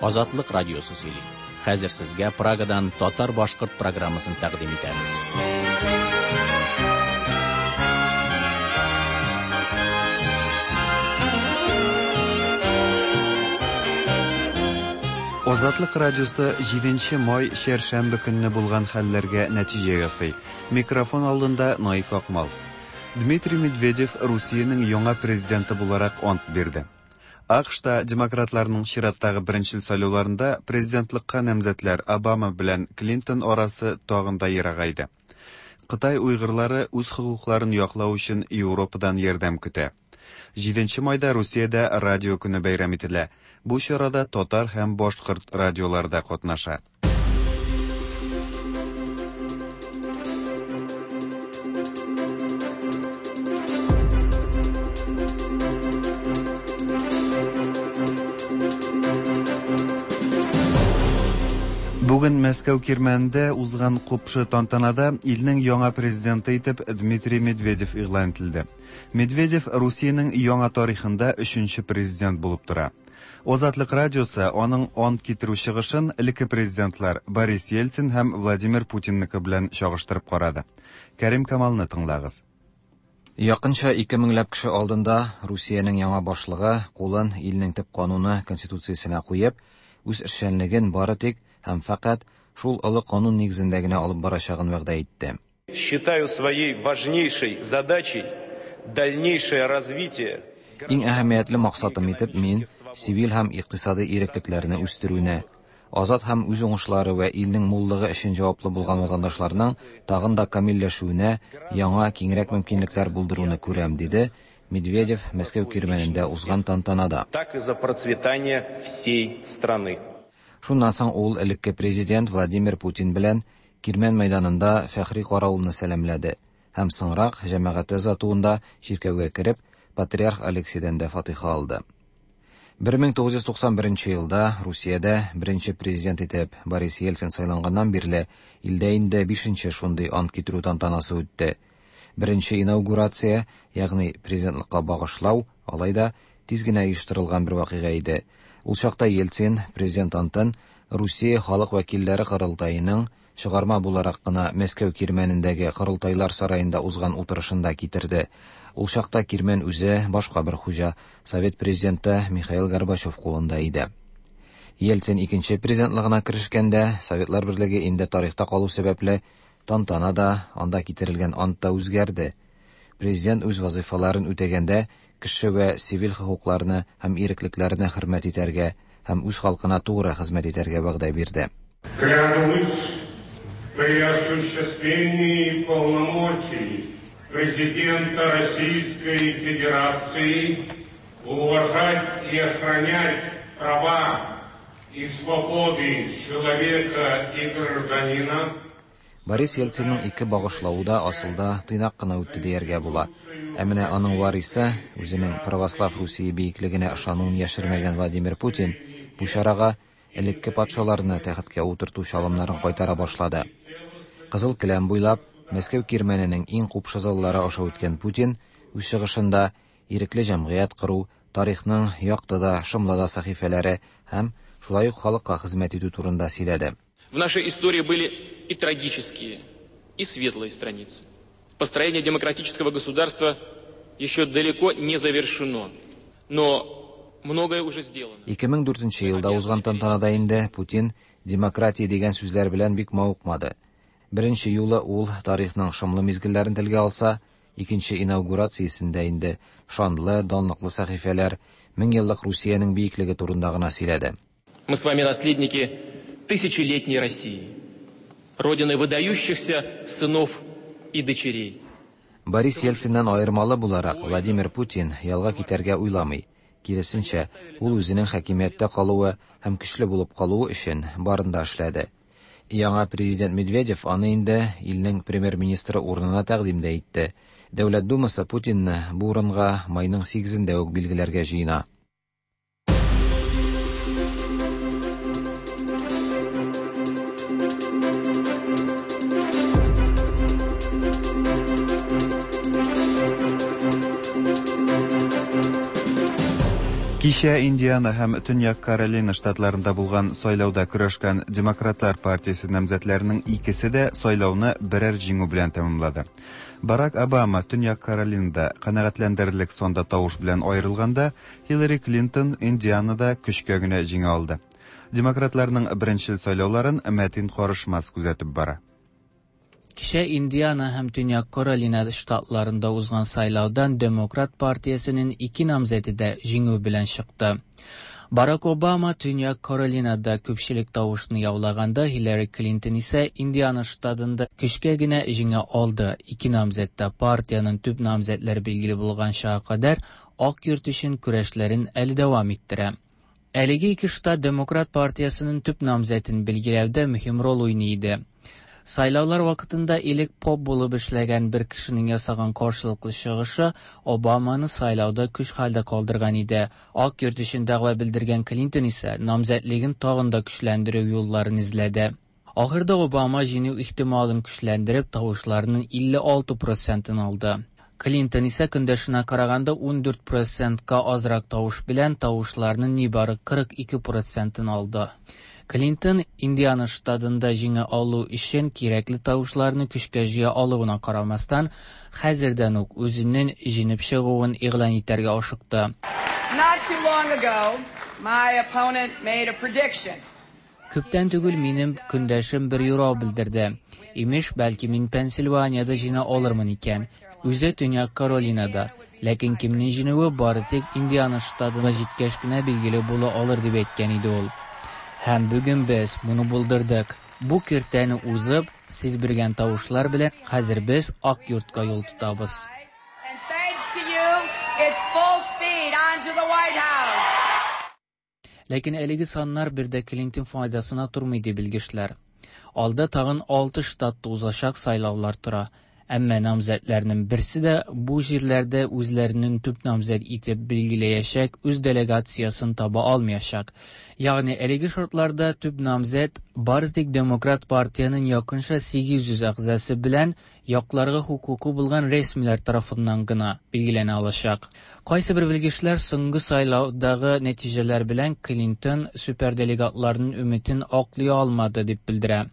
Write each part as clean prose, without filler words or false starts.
Азатлык радиосы сөйли. Хәзер сезгә Прагадан татар-башкорт программасын тәкъдим итәбез. Азатлык радиосы 7 май чәршәмбе көнне булган хәлләргә нәтиҗә ясый. Микрофон алдында Наиф Акмал. Дмитрий Медведев Русиянең яңа президенты буларак ант бирде. АКШта демократларның чираттагы беренчел сайлауларында президентлыкка намзәтләр Обама белән Клинтон арасы тагын да ерагайды. Кытай уйгырлары үз хокукларын яклау өчен Европадан ярдәм көтә. 7 майда Русиядә радио көне бәйрәм ителә. Бу чарада татар һәм башкорт радиолары да катнаша. Бүген Мәскәү кирмәнендә узган купшы тантанада илнең яңа президенты итеп Дмитрий Медведев игълан ителде. Медведев Русиянең яңа тарихында өченче президент булып тора. Азатлык радиосы аның ант китерү чыгышын элекке президентлар Борис Ельцин һәм Владимир Путинныкы белән чагыштырып карады. Кәрим Камалны тыңлагыз. Якынча 2 меңләп кеше алдында Русиянең яңа башлыгы кулын илнең төп кануны конституциясенә куеп, үз эшчәнлеген бары тик һәм фәкать шул олы канун нигезендә генә алып барачагын вәгъдә итте. Считаю своей важнейшей задачей дальнейшее развитие Иң әһәмиятле максатым итеп мин сивил һәм икътисади иреклекләрне үстерүне, азат һәм үз уңышлары вә илнең муллыгы өчен җаваплы булган ватандашларның тагын да камилләшүенә яңа киңрәк мөмкинлекләр булдыруны күрәм, диде Медведев Мәскәү кирмәнендә узган тантанада. Так и за процветание всей страны. Шуннан соң ул элекке президент Владимир Путин белән Кирмән мәйданында фәхри каравылны сәламләде һәм соңрак җәмәгате озатуында чиркәүгә кереп, патриарх Алексейдән дә фатиха алды. 1991 елда Русиядә беренче президент итеп Борис Ельцин сайланганнан бирле илдә инде 5нче шундый ант китерү тантанасы үтте. Беренче инаугурация, ягъни президентлыкка багышлау, алай да тиз генә оештырылган бер вакыйга иде. Ул чакта Ельцин президент антын Русия халык вәкилләре корылтаеның чыгарма буларак кына Мәскәү кирмәнендәге корылтайлар сараенда узган утырышында китерде. Ул чакта кирмән үзе башка бер хуҗа, Совет президенты Михаил Горбачев кулында иде. Ельцин икенче президентлыгына керешкәндә, Советлар Берлеге инде тарихта калу сәбәпле тантана да, анда китерелгән ант та үзгәрде. Президент үз вазыйфаларын үтәгәндә кеше вә сивил хокукларны һәм иреклекләрне хөрмәт итәргә һәм үз халкына тугры хезмәт итәргә вәгъдә бирде. Клянусь при осуществлении полномочий президента Российской Федерации уважать и охранять права и свободы человека и гражданина. Борис Ельцинның ике багышлавы да асылда тыйнак кына үтте дияргә була. Ә менә аның варисы, үзенең православ Русия биеклегенә ышануын яшермәгән Владимир Путин бу чарага элекке патшаларны тәхеткә утырту чалымнарын кайтара башлады. Кызыл келәм буйлап Мәскәү кирмәненең иң купшы заллары аша үткән Путин үз чыгышында ирекле җәмгыять кору, тарихның якты да, шомлы да сәхифәләре һәм шулай ук халыкка хезмәт итү турында сөйләде. В нашей истории были и трагические, и светлые страницы. Построение демократического государства еще далеко не завершено, но многое уже сделано. 2004 елда узган тантанада инде Путин демократия дигән сүзләр белән бик мавыкмады. Беренче юлы ул тарихның шомлы мизгелләрен телгә алса, икенче инаугурациясендә инде шанлы, данлыклы сәхифәләр, мең еллык Русиянең биеклеге турында гына сөйләде. Мы с вами наследники тысячелетней России, родины выдающихся сынов и дочерей. Борис Ельциннән аермалы буларак Владимир Путин ялга китәргә уйламый. Киресенчә, ул үзенең хакимияттә калуы һәм көчле булып калуы өчен барын да эшләде. Яңа президент Медведев аны инде илнең премьер-министры урынына тәкъдим дә итте. Дәүләт Думасы Путинны бу урынга майның 8-ендә үк билгеләргә җыена. Кичә Индиана һәм Төньяк Каролина штатларында булган сайлауда көрәшкән Демократлар партиясе намзәтләренең икесе дә сайлауны берәр җиңү белән тәмамлады. Барак Обама Төньяк Каролинада канәгатьләндерерлек санда тавыш белән аерылганда, Хиллари Клинтон Индианада көчкә генә җиңә алды. Демократларның беренчел сайлауларын Мәтин Карышмас күзәтеп бара. Кичә Индиана һәм Төньяк Каролина штатларында узган сайлаудан Демократ партиясенең ике намзәте дә җиңү белән чыкты. Барак Обама Төньяк Каролинада күпчелек тавышны яулаганда, Хиллари Клинтон исә Индиана штатында көчкә генә җиңә алды. Ике намзәт тә партиянең төп намзәтләре билгеле булганчага кадәр Ак йорт өчен көрәшләрен әле дәвам иттерә. Әлеге ике штат Демократ партиясенең төп намзәтен билгеләүдә мөһим роль уйный иде. Сайлаулар вакытында элек поп булып эшләгән бер кешенең ясаган каршылыклы чыгышы Обаманы сайлауда көч хәлдә калдырган иде. Ак йорт өчен дәгъва белдергән Клинтон исә намзәтлеген тагын да көчләндерү юлларын эзләде. Ахырда Обама җиңү ихтималын көчләндереп, тавышларның 56 процентын алды. Клинтон исә көндәшенә караганда 14 процентка азрак тавыш белән тавышларның нибары 42 процентын алды. Клинтон Индиана штатында җиңә алу өчен кирәкле тавышларны көчкә җыя алуына карамастан, хәзердән үк үзенең җиңеп чыгуын игълан итәргә ашыкты. Not too long ago, my opponent made a prediction. Күптән түгел минем көндәшем бер юрау белдерде. Имеш, бәлки мин Пенсильваниядә җиңә алырмын икән. Үзе Төньяк Каролинада. Ләкин кемнең җиңүе бары тик Индиана штатына җиткәч кенә билгеле була алыр дип әйткән иде ул. Һәм бүген без моны булдырдык. Бу киртәне узып, сез биргән тавышлар белән хәзер без Ак йортка юл тотабыз. And thanks to you, it's full speed onto the White House. Ләкин әлеге саннар бер дә Клинтон файдасына тормый ди белгечләр. Алда тагын 6 штатта узачак сайлаулар тора. Әмма намзәтләрнең берсе дә бу җирләрдә үзләренең төп намзәт итеп билгеләячәк үз делегациясен таба алмаячак. Ягъни әлеге шартларда төп намзәт бары тик Демократ партиянең якынча 800 әгъзасы белән якларга хокукы булган рәсмиләр тарафыннан гына билгеләнә алачак. Кайсы бер белгечләр соңгы сайлаудагы нәтиҗәләр белән Клинтон суперделегатларның өметен аклый алмады дип белдерә.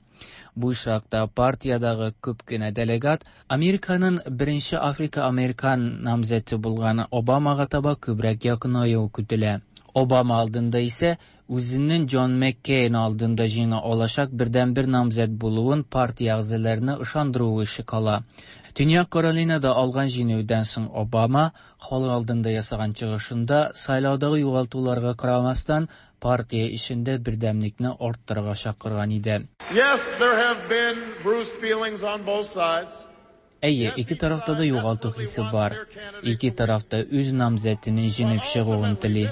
Бу очракта партиядагы күп кенә делегат Американың беренче Африка-Американ намзәте булган Обамага таба күбрәк якынаюы көтелә. Обама алдында исә үзенең Джон Маккейн алдында җиңә алачак бердәнбер намзәт булуын партия әгъзаларына ышандыруы эше кала. Төньяк Каролинада алган җиңүдән соң Обама халык алдында ясаган чыгышында сайлаудагы югалтуларга карамастан партия эчендә бердәмлекне арттырырга чакырган иде. Yes, there have been bruised feelings on both sides. Әйе, ике тарафта да югалту хисе бар. Ике тараф та үз намзәтенең җиңеп чыгуын тели.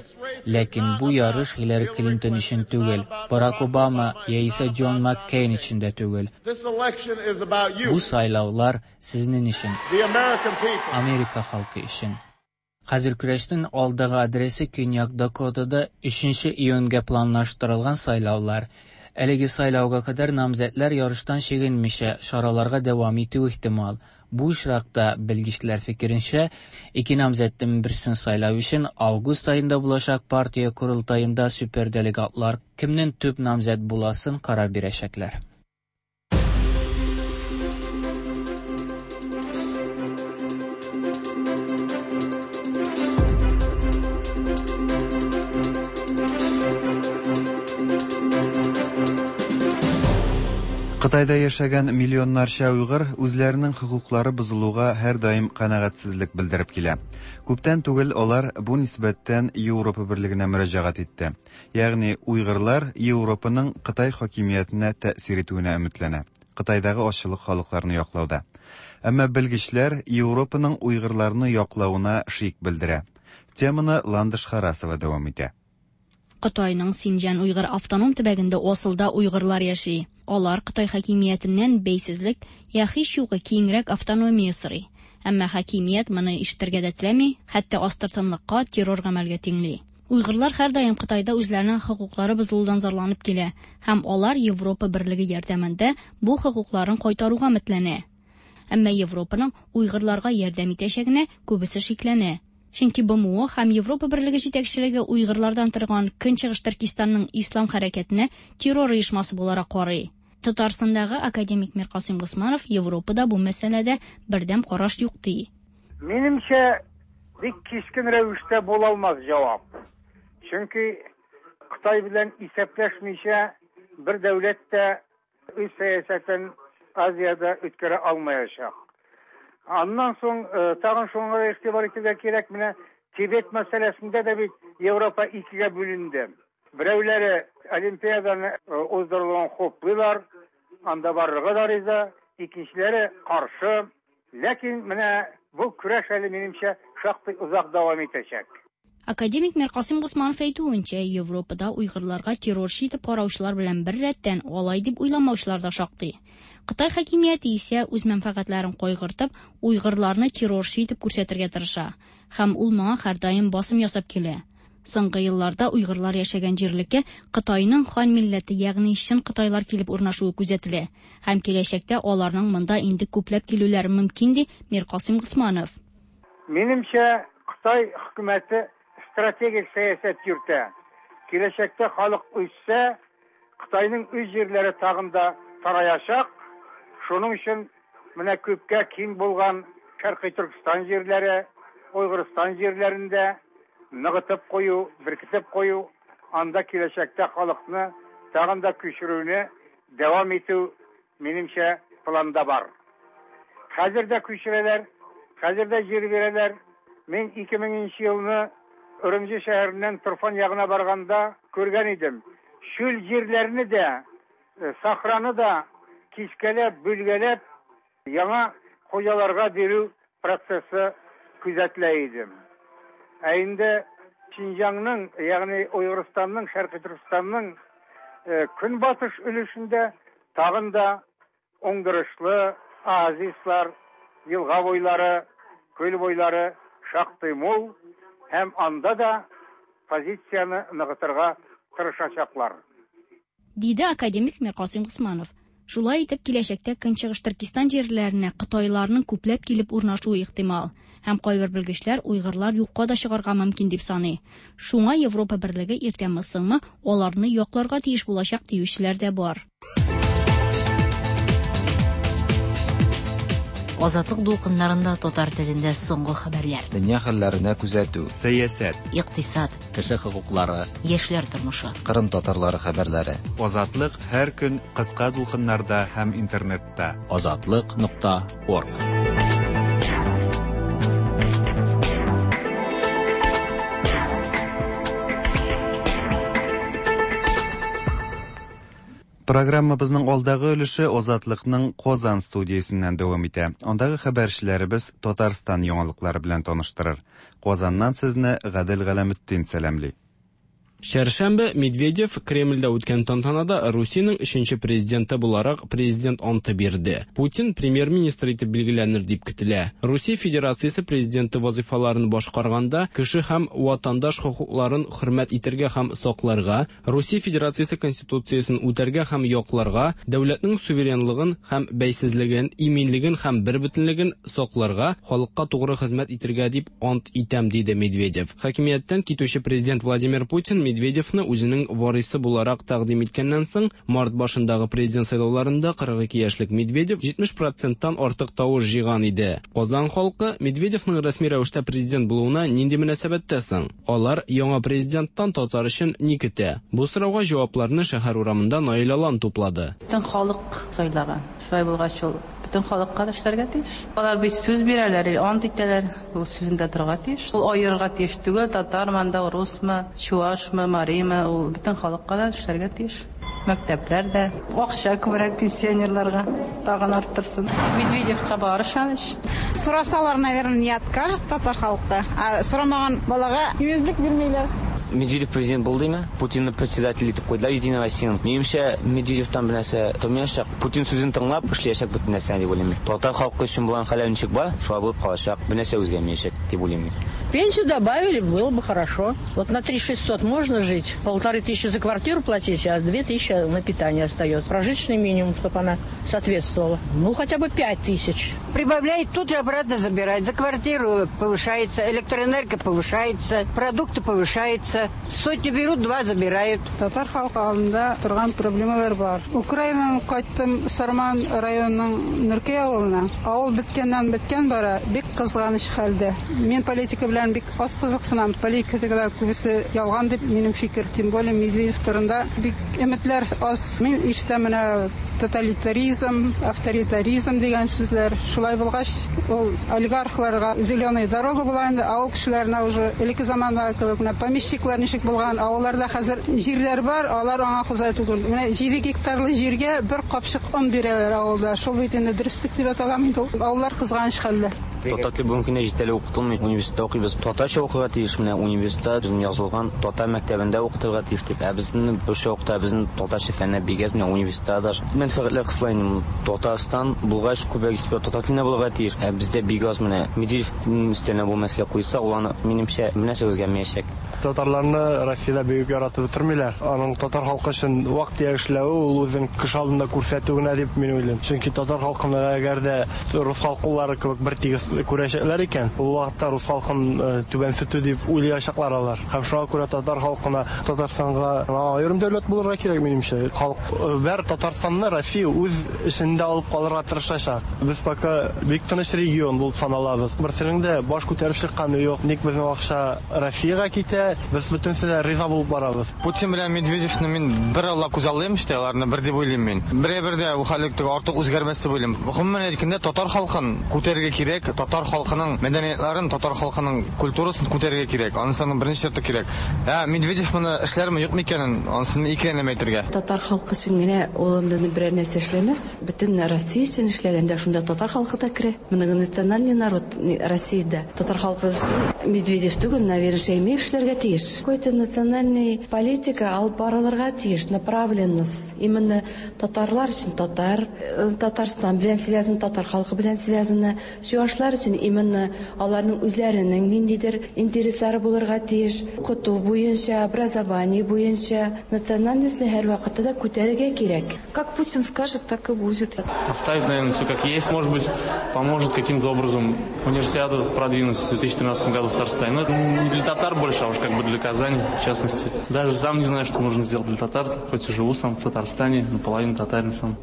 Ләкин бу ярыш Хиллари Клинтон өчен түгел, Барак Обама яисә Джон Маккейн өчен дә түгел. This election is about you, Бу сайлаулар сезнең өчен, the American people. Америка халкы өчен. Хәзер көрәшнең алдагы адресы Көньяк Дакотада 3 июньгә планлаштырылган сайлаулар. Әлеге сайлауга кадәр намзәтләр ярыштан чигенмичә чараларга дәвам итү ихтимал. Бу очракта белгечләр фикеренчә, ике намзәтнең берсен сайлау өчен август аенда булачак партия корылтаенда суперделегатлар кемнең төп намзәт буласын карар бирәчәкләр. Кытайда яшәгән миллионнарча уйгыр үзләренең хокуклары бозылуга һәрдаим канәгатьсезлек белдереп килә. Күптән түгел алар бу нисбәттән Европа берлегенә мөрәҗәгать итте. Ягъни уйгырлар Европаның Кытай хакимиятенә тәэсир итүенә өметләнә. Кытайдагы азчылык халыкларны яклауда. Әмма белгечләр Европаның уйгырларны яклавына шик белдерә. Теманы Ландыш Харасова дәвам итә. Кытайның Синҗан уйгыр автоном төбәгендә асылда уйгырлар яши. Алар Кытай хакимиятеннән бәйсезлек я һич югы киңрәк автономия сорый. Әмма хакимият моны ишетергә дә теләми, хәтта астыртынлыкка, террор гамәлгә тиңли. Уйгырлар һәрдаим Кытайда үзләренең хокуклары бозылудан зарланып килә һәм алар Европа берлеге ярдәмендә бу хокукларын кайтаруга өметләнә. Әмма Европаның уйгырларга ярдәм итәчәгенә күбесе шикләнә. Чөнки БМО һәм Европа Берлеге җитәкчелеге уйгырлардан торган Көнчыгыш Төркистанның ислам хәрәкәтенә террор оешмасы буларак карый. Татарстандагы академик Миркасыйм Госманов Европада бу мәсьәләдә бердәм караш юк ди. Минемчә, бик кискен рәвештә була алмас җавап. Чөнки Кытай белән исәпләшмичә бер дәүләт тә үз сәясәтен Азиядә үткәрә алмаячак. Аннан соң тагын шуңа игътибар итәргә кирәк, менә Тибет мәсьәләсендә дә бит Европа икегә бүленде. Берәүләре Олимпиаданы уздырылуын хуплыйлар, анда барырга да риза, икенчеләре каршы. Ләкин менә бу көрәш әле минемчә шактый озак дәвам итәчәк. Академик Миркасыйм Госманов әйтүенчә, Европада уйгырларга террорчы итеп караучылар белән бер рәттән алай дип уйламаучылар да шактый. Кытай хакимияте исә үз мәнфәгатьләрен кайгыртып, уйгырларны террорчы итеп күрсәтергә тырыша. Һәм ул моңа һәрдаим басым ясап килә. Соңгы елларда уйгырлар яшәгән җирлеккә Кытайның хан милләте, ягъни чын кытайлар килеп урнашуы күзәтелә. Һәм киләчәктә аларның монда инде күпләп килүләре мөмкин, ди Миркасыйм Госманов. Минемчә, Кытай хөкүмәте стратегик сәясәт йөртә. Киләчәктә халык үссә, Кытайның үз җирләре тагын да тараячак. Шуның өчен менә күпкә киң булган Шәркый Төркстан җирләре, Уйгырстан җирләрендә ныгытып кую, беркетеп кую, анда киләчәктә халыкны тагын да күчерүне дәвам итү, минемчә, планда бар. Хәзер дә күчерәләр, хәзер дә җир бирәләр. Мин 2000 нче елны Үрүмҗи шәһәреннән Турфан ягына барганда күргән идем. Чүл җирләрне дә, сахраны да кискәләп, бүлгәләп, яңа хуҗаларга бирү процессы күзәтелә иде. Ә инде Шинҗаңның, ягъни Уйгырстанның, Шәркый Төркестанның көнбатыш өлешендә тагын да уңдырышлы оазислар, елга буйлары, күл буйлары шактый мул һәм анда да позицияне ныгытырга тырышачаклар. Диде академик Миркасыйм Госманов. Шулай итеп, киләчәктә Көнчыгыш Төркестан җирләренә кытайларның күпләп килеп урнашуы ихтимал. Һәм кайбер белгечләр уйгырлар юкка да чыгарга мөмкин дип саный. Шуңа Европа Берлеге иртәме-соңмы аларны якларга тиеш булачак диючеләр дә бар. Азатлык дулкыннарында татар телендә соңгы хәбәрләр. Дөнья хәлләренә күзәтү. Сәясәт. Икътисад. Кеше хокуклары. Яшьләр тормышы. Кырым татарлары хәбәрләре. Азатлык һәр көн кыска дулкыннарда һәм интернетта. Азатлык нокта орг. Программабызның алдагы өлеше Азатлыкның Казан студиясеннән дәвам итә. Андагы хәбәрчеләребез Татарстан яңалыклары белән таныштырыр. Казаннан сезне Гадел Галәметдин сәламли. Чәршәмбе Медведев Кремльдә үткән тантанада Русиянең өченче президенты буларак президент анты бирде. Путин премьер-министр итеп билгеләнер дип көтелә. Русия Федерациясе президенты вазыйфаларын башкарганда кеше һәм ватандаш хокукларын хөрмәт итәргә һәм сакларга, Русия Федерациясе Конституциясен үтәргә һәм якларга, дәүләтнең суверенлыгын һәм бәйсезлеген, иминлеген һәм бербөтенлеген сакларга, халыкка тугры хезмәт итәргә дип ант итәм, диде Медведев. Хакимияттән китүче президент Владимир Путин Медведевны үзенең варисы буларак тәкъдим иткәннән соң, март башындагы президент сайлауларында 42 яшьлек Медведев 70 проценттан артык тавыш җыйган иде. Казан халкы Медведевның рәсми рәвештә президент булуына нинди мөнәсәбәттә соң? Алар яңа президенттан татар өчен ни көтә? Бу сорауга җавапларны шәһәр урамында Наил Алан туплады. Бөтен халык сайлаган. Шулай булгач, ул бөтен халыкка да эшләргә тиеш. Алар бит сүз бирәләр, ант итәләр, ул сүзендә торырга тиеш. Ул аерырга тиеш түгел, татармы анда, русмы, чуашмы, маримы, ул бөтен халыкка да эшләргә тиеш. Мәктәпләр дә. Акча күбрәк пенсионерларга тагын арттырсын. Медведевка бар ышаныч. Сорасалар, наверное, не откажет татар халкы. Ә сорамаган балага имезлек бирмиләр. Медведев президент булды димме? Путинны председатель итеп куйдылар Единая Россияның. Минемчә, Медведевтан бер нәрсә тормаячак. Путин сүзен тыңлап эшләячәк бөтен нәрсәне дип уйлыйм мин. Татар халкы өчен булган хәлләр ничек бар, шулай булып калачак. Бер нәрсә үзгәрмәячәк дип уйлыйм мин. Пенсию добавили, было бы хорошо. Вот на 3600 можно жить, 1500 за квартиру платить, а 2000 на питание остается. Прожиточный минимум, чтобы она соответствовала. Ну, хотя бы 5000. Прибавляет, тут же обратно забирает. За квартиру повышается, электроэнергия повышается, продукты повышаются. Сотню берут, два забирают. Татар халкы алдында торган проблемалар бар. Украинадан кайттым Сарман районының Нөркәй авылына. Авыл беткәннән беткән бара, бик кызганыч хәлдә. Мин политика белән бик аз кызыксынам. Политикада күбесе ялган дип минем фикер. Тем более Медведев турында бик өметләр аз. Мин ишетәм менә тоталитаризм, авторитаризм дигән сүзләр. Шулай булгач, ул олигархларга зеленая дорога була инде, авыл кешеләренә уже элекке замандагы кебек менә помещиклар ничек булган, авылларда хәзер җирләр бар, алар аңа хуҗа түгел. Менә 7 гектарлы җиргә бер капчык он бирәләр авылда. Шул бит инде дөреслек дип атала инде ул. Авыллар кызганыч хәлдә. Татар теле бүгенге көндә җитәрлек укытылмый. Университетта укыйбыз. Татарча укырга тиеш, менә университетта безнең язылган татар мәктәбендә укытырга тиеш дип. Ә безнең русча укыта, безнең татарча фәннәр бик әз, менә университетта даже. Мәнфәгатьләр кысыла инде. Татарстан булгач, күбрәк истә татар телендә булырга тиеш. Ә бездә бик аз менә Медведев өстенә бу мәсьәлә куйса, ул аны, минемчә, бернәрсә үзгәрмәячәк. Татарларны Россиядә бик яратып бетермиләр. Аның татар халкы өчен вак-төяк эшләве ул үзен кеше алдында күрсәтү генә дип мин уйлыйм. Чөнки татар халкын әгәр дә рус халкылары кебек бер тигез күрәчәкләр икән, ул вакытта рус халкын түбәнсетү дип уйлаячаклар алар. Һәм шуңа күрә татар халкына Татарстанга аерым дәүләт булырга кирәк минемчә. Халык бер Татарстанны Россия үз эчендә алып калырга тырышачак. Без пока бик тыныч регион булып саналабыз. Берсенең дә баш күтәреп чыкканы юк. Ник безнең акча Россиягә китә, без бөтенесе дә риза булып барабыз. Путин белән Медведевны мин бер алла күзаллыйм, işte аларны бер дип уйлыйм мин. Бер дә бу хәллек артык үзгәрмәс дип уйлыйм. Гомумән әйткәндә, татар халкын күтәрергә кирәк, татар халкының мәдәниятларын, татар халкының культурасын күтәрергә кирәк. Анысының беренче шарты кирәк. Ә Медведев моны эшләрме, юкмы икәнен, анысын икеләнәм әйтергә. Татар халкы өчен генә ул инде берәр нәрсә эшләмәс. Бөтен Россия өчен эшләгәндә шунда татар халкы да керә. Моны национальный народ Россиядә. Татар халкы өчен Медведев түгел, наверное, Шәймиев эшләргә тиеш. Какой-то национальный политика алып барылырга тиеш, направленность. Именно татарлар өчен татар, Татарстан белән связан, татар халкы белән связаны. Чуашлар өчен именно аларның үзләренең ниндидер интереслары булырга тиеш. Укыту буенча, образование буенча национальностьны һәрвакытта да күтәрергә кирәк. Как Путин скажет, так и будет. Оставить, наверное, все как есть. Может быть, поможет каким-то образом универсиаду продвинуть в 2013 году в Татарстане. Но это не для татар больше, а уж как бы для Казани, в частности. Даже сам не знаю, что можно сделать для татар, хоть и живу сам в Татарстане, наполовину татарин сам.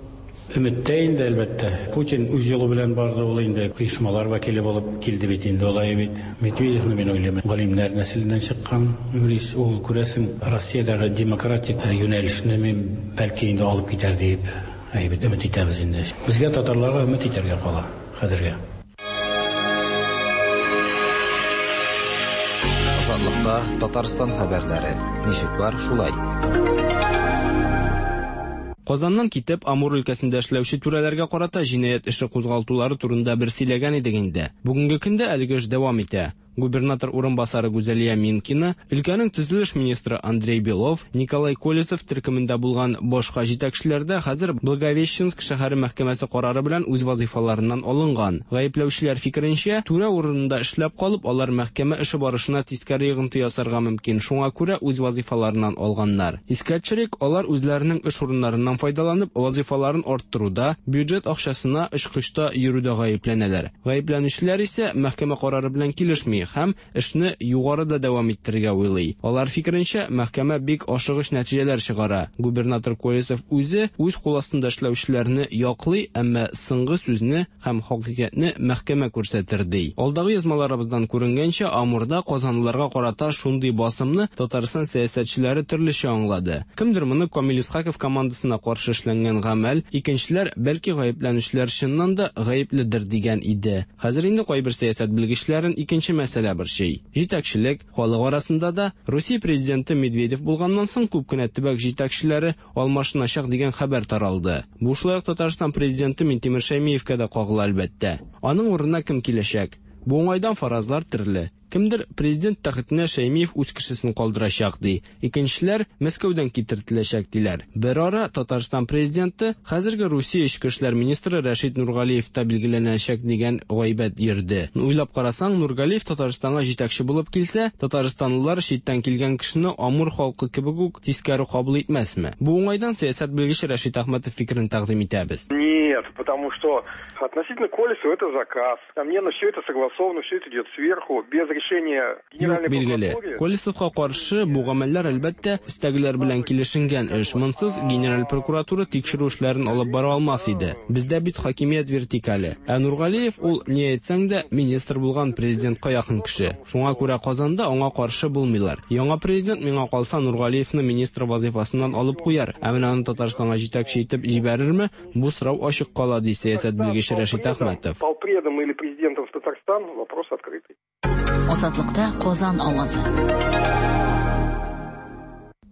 Өметтә инде, әлбәттә. Путин үз юлы белән барды, ул инде оешмалар вәкиле булып килде бит инде, алай бит. Медведевны мин уйлыйм, галимнәр нәселеннән чыккан юрист, ул күрәсең Россиядәге демократик юнәлешне мин бәлки инде алып китәр дип, әйбәт өмет итәбез инде. Безгә татарларга өмет итәргә кала хәзергә. Азатлыкта Татарстан хәбәрләре. Ничек бар, шулай. Казаннан китеп, Амур өлкәсендә эшләүче түрәләргә карата җинаять эше кузгалтулары турында бер сөйләгән идек инде. Бүгенге көндә әлеге эш дәвам итә. Губернатор урынбасары Гүзәлия Минкина, өлкәнең төзелеш министры Андрей Белов, Николай Колесов төркемендә булган башка җитәкчеләр дә хәзер Благовещенск шәһәре мәхкәмәсе карары белән үз вазифаларыннан алынган. Гаепләүчеләр фикеренчә, түрә урынында эшләп калып, алар мәхкәмә эше барышына тискәре йогынты ясарга мөмкин. Шуңа күрә үз вазифаларыннан алганнар. Искә төшерик, алар үзләренең эш урыннарыннан файдаланып, вазифаларын арттыруда, бюджет акчасына очкычта йөрүдә гаепләнәләр. Гаепләнүчеләр исә мәхкәмә карары белән килешми һәм эшне югарыда дәвам иттерергә уйлый. Алар фикеренчә, мәхкәмә бик ашыгыч нәтиҗәләр чыгара. Губернатор Колесов үзе үз кул астында эшләүчеләрне яклый, әмма соңгы сүзне һәм хакыйкатьне мәхкәмә күрсәтер ди. Алдагы язмаларыбыздан күренгәнчә, Амурда казанлыларга карата шундый басымны Татарстан сәясәтчеләре төрлечә аңлады. Кемдер моны Камил Исхаков командасына каршы эшләнгән гамәл, икенчеләр бәлки гаепләнүчеләр чыннан да гаепледер дигән иде. Хәзер инде кайбер сәясәт белгечләрен икенче мәсьәлә борчый. Җитәкчелек халык арасында да Русия президенты Медведев булганнан соң күп кенә төбәк җитәкчеләре алмашыначак дигән хәбәр таралды. Бу шулай ук Татарстан президенты Минтимер Шәймиевкә дә кагыла әлбәттә. Аның урынына кем киләчәк? Бу уңайдан фаразлар төрле. Кемдер президент тәхетенә Шәймиев үз кешесен калдырачак ди. Икенчеләр Мәскәүдән китертеләчәк диләр. Бер ара Татарстан президенты хәзерге Русия эчке эшләр министры Рәшит Нургалиев та билгеләнәчәк дигән гайбәт йөрде. Уйлап карасаң, Нургалиев Татарстанга җитәкче булып килсә, татарстанлылар читтән килгән кешене Амур халкы кебек үк тискәре кабул итмәсме? Бу уңайдан сәясәт белгече Рәшит Әхмәтов фикерен тәкъдим итәбез. Нет, потому что относительно Колесова это заказ. Несомненно, все это согласовано, все это идет сверху, без решения Юк, билгеле. Колесовка каршы бу гамәлләр, әлбәттә, өстәгеләр белән килешенгән эш. Монсыз Генераль прокуратура тикшерү эшләрен алып бара алмас иде. Бездә бит хакимият вертикале. Ә Нургалиев ул, ни әйтсәң дә, министр булган президентка якын кеше. Шуңа күрә Казанда аңа каршы булмыйлар. Яңа президент, миңа калса, Нургалиевны министр вазыйфасыннан алып куяр. Ә менә аны Татарстанга җитәкче итеп җибәрерме, бу сорау ачык кала, ди сәясәт белгече Рәшит Әхмәтов. Полпредом или президентом в Татарстан вопрос открытый. Азатлыкта Казан авазы.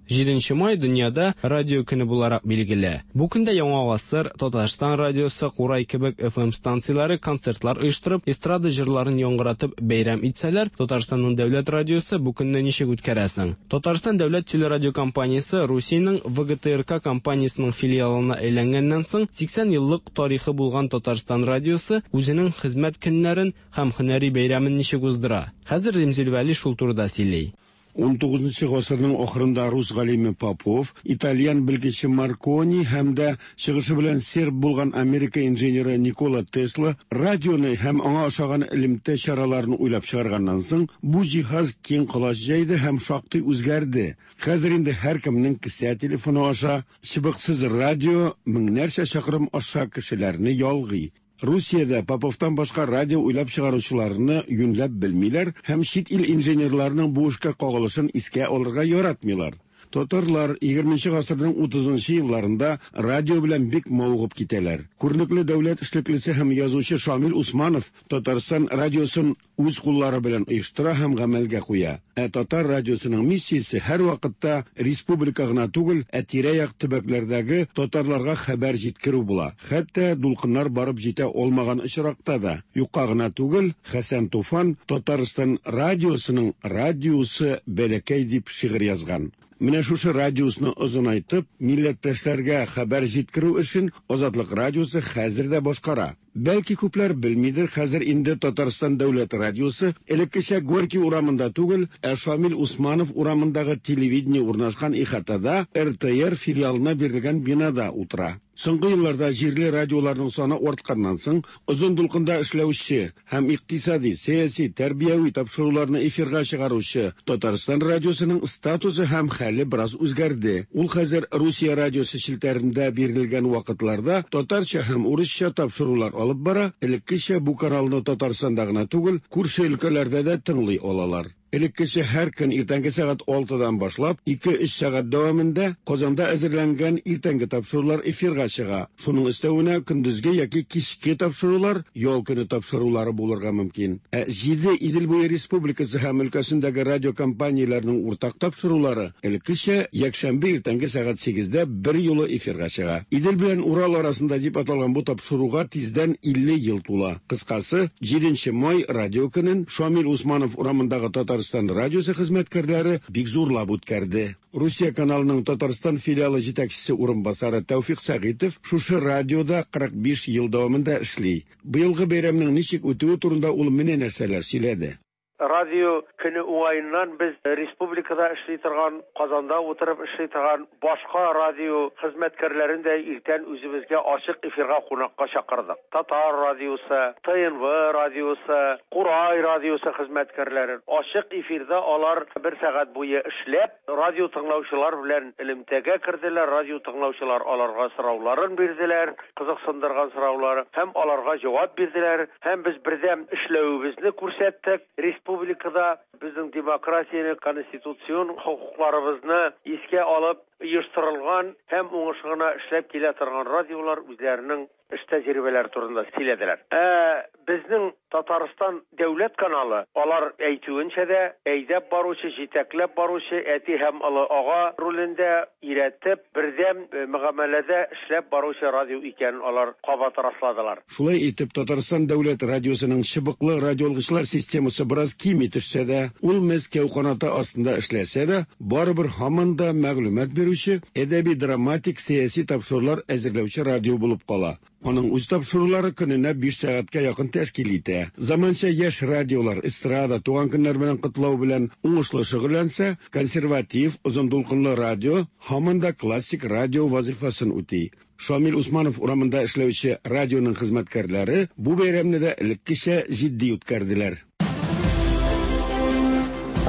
7 май дөньяда радио көне буларак билгеле. Бу көндә Яңа гасыр, Татарстан радиосы, Курай кебек FM станцияләре концертлар оештырып, эстрада җырларын яңгыратып бәйрәм итсәләр, Татарстанның дәүләт радиосы бу көнне ничек үткәрәсең? Татарстан дәүләт телерадиокомпаниясе Русиянең ВГТРК компаниясенең филиалына әйләнгәннән соң 80 еллык тарихы булган Татарстан радиосы үзенең хезмәт көннәрен һәм һөнәри бәйрәмен ничек уздыра? Хәзер Римзил Вәли шул турыда сөйли. 19 гасырның ахырында рус галиме Попов, итальян белгече Маркони һәм дә чыгышы белән серб булган Америка инженеры Никола Тесла радионы һәм аңа ошаган элемтә чараларын уйлап чыгарганнан соң, бу җиһаз киң колач җәйде һәм шактый үзгәрде. Хәзер инде һәркемнең кесә телефоны аша чыбыксыз радио меңнәрчә чакрым аша кешеләрне ялгый. Русиядә Поповтан башка радио уйлап чыгаручыларны юньләп белмиләр һәм чит ил инженерларының бу эшкә кагылышын искә алырга яратмыйлар. Татарлар 20 гасырның 30 елларында радио белән бик мавыгып китәләр. Күренекле дәүләт эшлеклесе һәм язучы Шамил Усманов Татарстан радиосын үз куллары белән оештыра һәм гамәлгә куя. Ә татар радиосының миссиясе һәр вакытта республика гына түгел, ә тирә-як төбәкләрдәге татарларга хәбәр җиткерү була. Хәтта дулкыннар барып җитә алмаган очракта да. Юкка гына түгел, Хәсән Туфан Татарстан радиосының радиусы бәләкәй дип шигырь язган. Менә шушы радиусны озынайтып, милләттәшләргә хәбәр җиткерү эшен Азатлык радиосы хәзер дә башкара. Бәлки күпләр белмидер, хәзер инде Татарстан дәүләт радиосы элеккечә Горький урамында түгел, ә Шамил Усманов урамындагы телевидение урнашкан ихатада РТР филиалына бирелгән бинада утыра. Соңгы елларда җирле радиоларның саны артканнан соң, озын дулкында эшләүче һәм икътисади, сәяси, тәрбияви тапшыруларны эфирга чыгаручы Татарстан радиосының статусы һәм хәле бераз үзгәрде. Ул хәзер Русия радиосы челтәрендә бирелгән вакытларда татарча һәм урысча тапшырулар алып бара, элеккечә бу каналны Татарстанда гына түгел, күрше өлкәләрдә дә тыңлый алалар. Элеккечә һәр көн иртәнге сәгать 6-дан башлап 2-3 сәгать дәвамында Казанда әзерләнгән иртәнге тапшырулар эфирга чыга. Шуның өстәвенә көндезге яки кичке тапшырулар, ял көне тапшырулары булырга мөмкин. Ә 7 Идел буе республикасы һәм өлкәсендәге радиокомпанияләрнең уртак тапшырулары элеккечә якшәмбе иртәнге сәгать 8-дә бер юлы эфирга чыга. Идел белән Урал арасында дип аталган бу тапшыруга тиздән 50 ел тула. Кыскасы, 7 май радио көнен Шамил Усманов урамындагы Татарстан радиосы хезмәткәрләре бик зурлап үткәрде. Русия каналының Татарстан филиалы җитәкчесе урынбасары Тәүфик Сәгыйтов шушы радиода 45 ел дәвамында эшли. Быелгы бәйрәмнең ничек үтүе турында ул менә нәрсәләр сөйләде. Радио көне уңаеннан без республикада эшли торган, Казанда утырып эшли торган башка радио хезмәткәрләрен дә иртән үзебезгә ачык эфирга кунакка чакырдык. Татар радиосы, ТНВ радиосы, Курай радиосы хезмәткәрләрен ачык эфирда алар бер сәгать буе эшләп, радио тыңлаучылар белән элемтәгә керделәр, радио тыңлаучылар аларга сорауларын бирделәр, кызыксындырган сораулары һәм аларга җавап бирделәр, һәм без бердәм эшләвебезне күрсәттек. Республикада безнең демократияне, конституцион хокукларыбызны искә алып, оештырылган һәм уңышлы гына эшләп килә торган радиолар үзләренең эш тәҗрибәләре турында сөйләделәр. Ә безнең Татарстан дәүләт каналы, алар әйтүенчә дә, әйдәп баручы, җитәкләп баручы әти һәм олы ага ролендә өйрәтеп, бердәм мөгамәләдә эшләп баручы радио икәнен алар кабат расладылар. Шулай итеп, Татарстан дәүләт радиосының чыбыклы радиоалгычлар системасы бераз кими төшсә дә, ул Мәскәү канаты астында эшләсә дә, барыбер һаман да мәгълүмат бирүче, әдәби-драматик, сәяси тапшырулар әзерләүче радио булып кала. Аның үз тапшырулары көненә 5 сәгатькә якын тәшкил итә. Заманча яшь радиолар эстрада, туган көннәр белән котлау белән уңышлы шөгыльләнсә, консерватив, озын дулкынлы радио һаман да классик радио вазифасын үти. Шамил Усманов урамында эшләүче радионың хезмәткәрләре бу бәйрәмне дә элеккечә җитди үткәрделәр.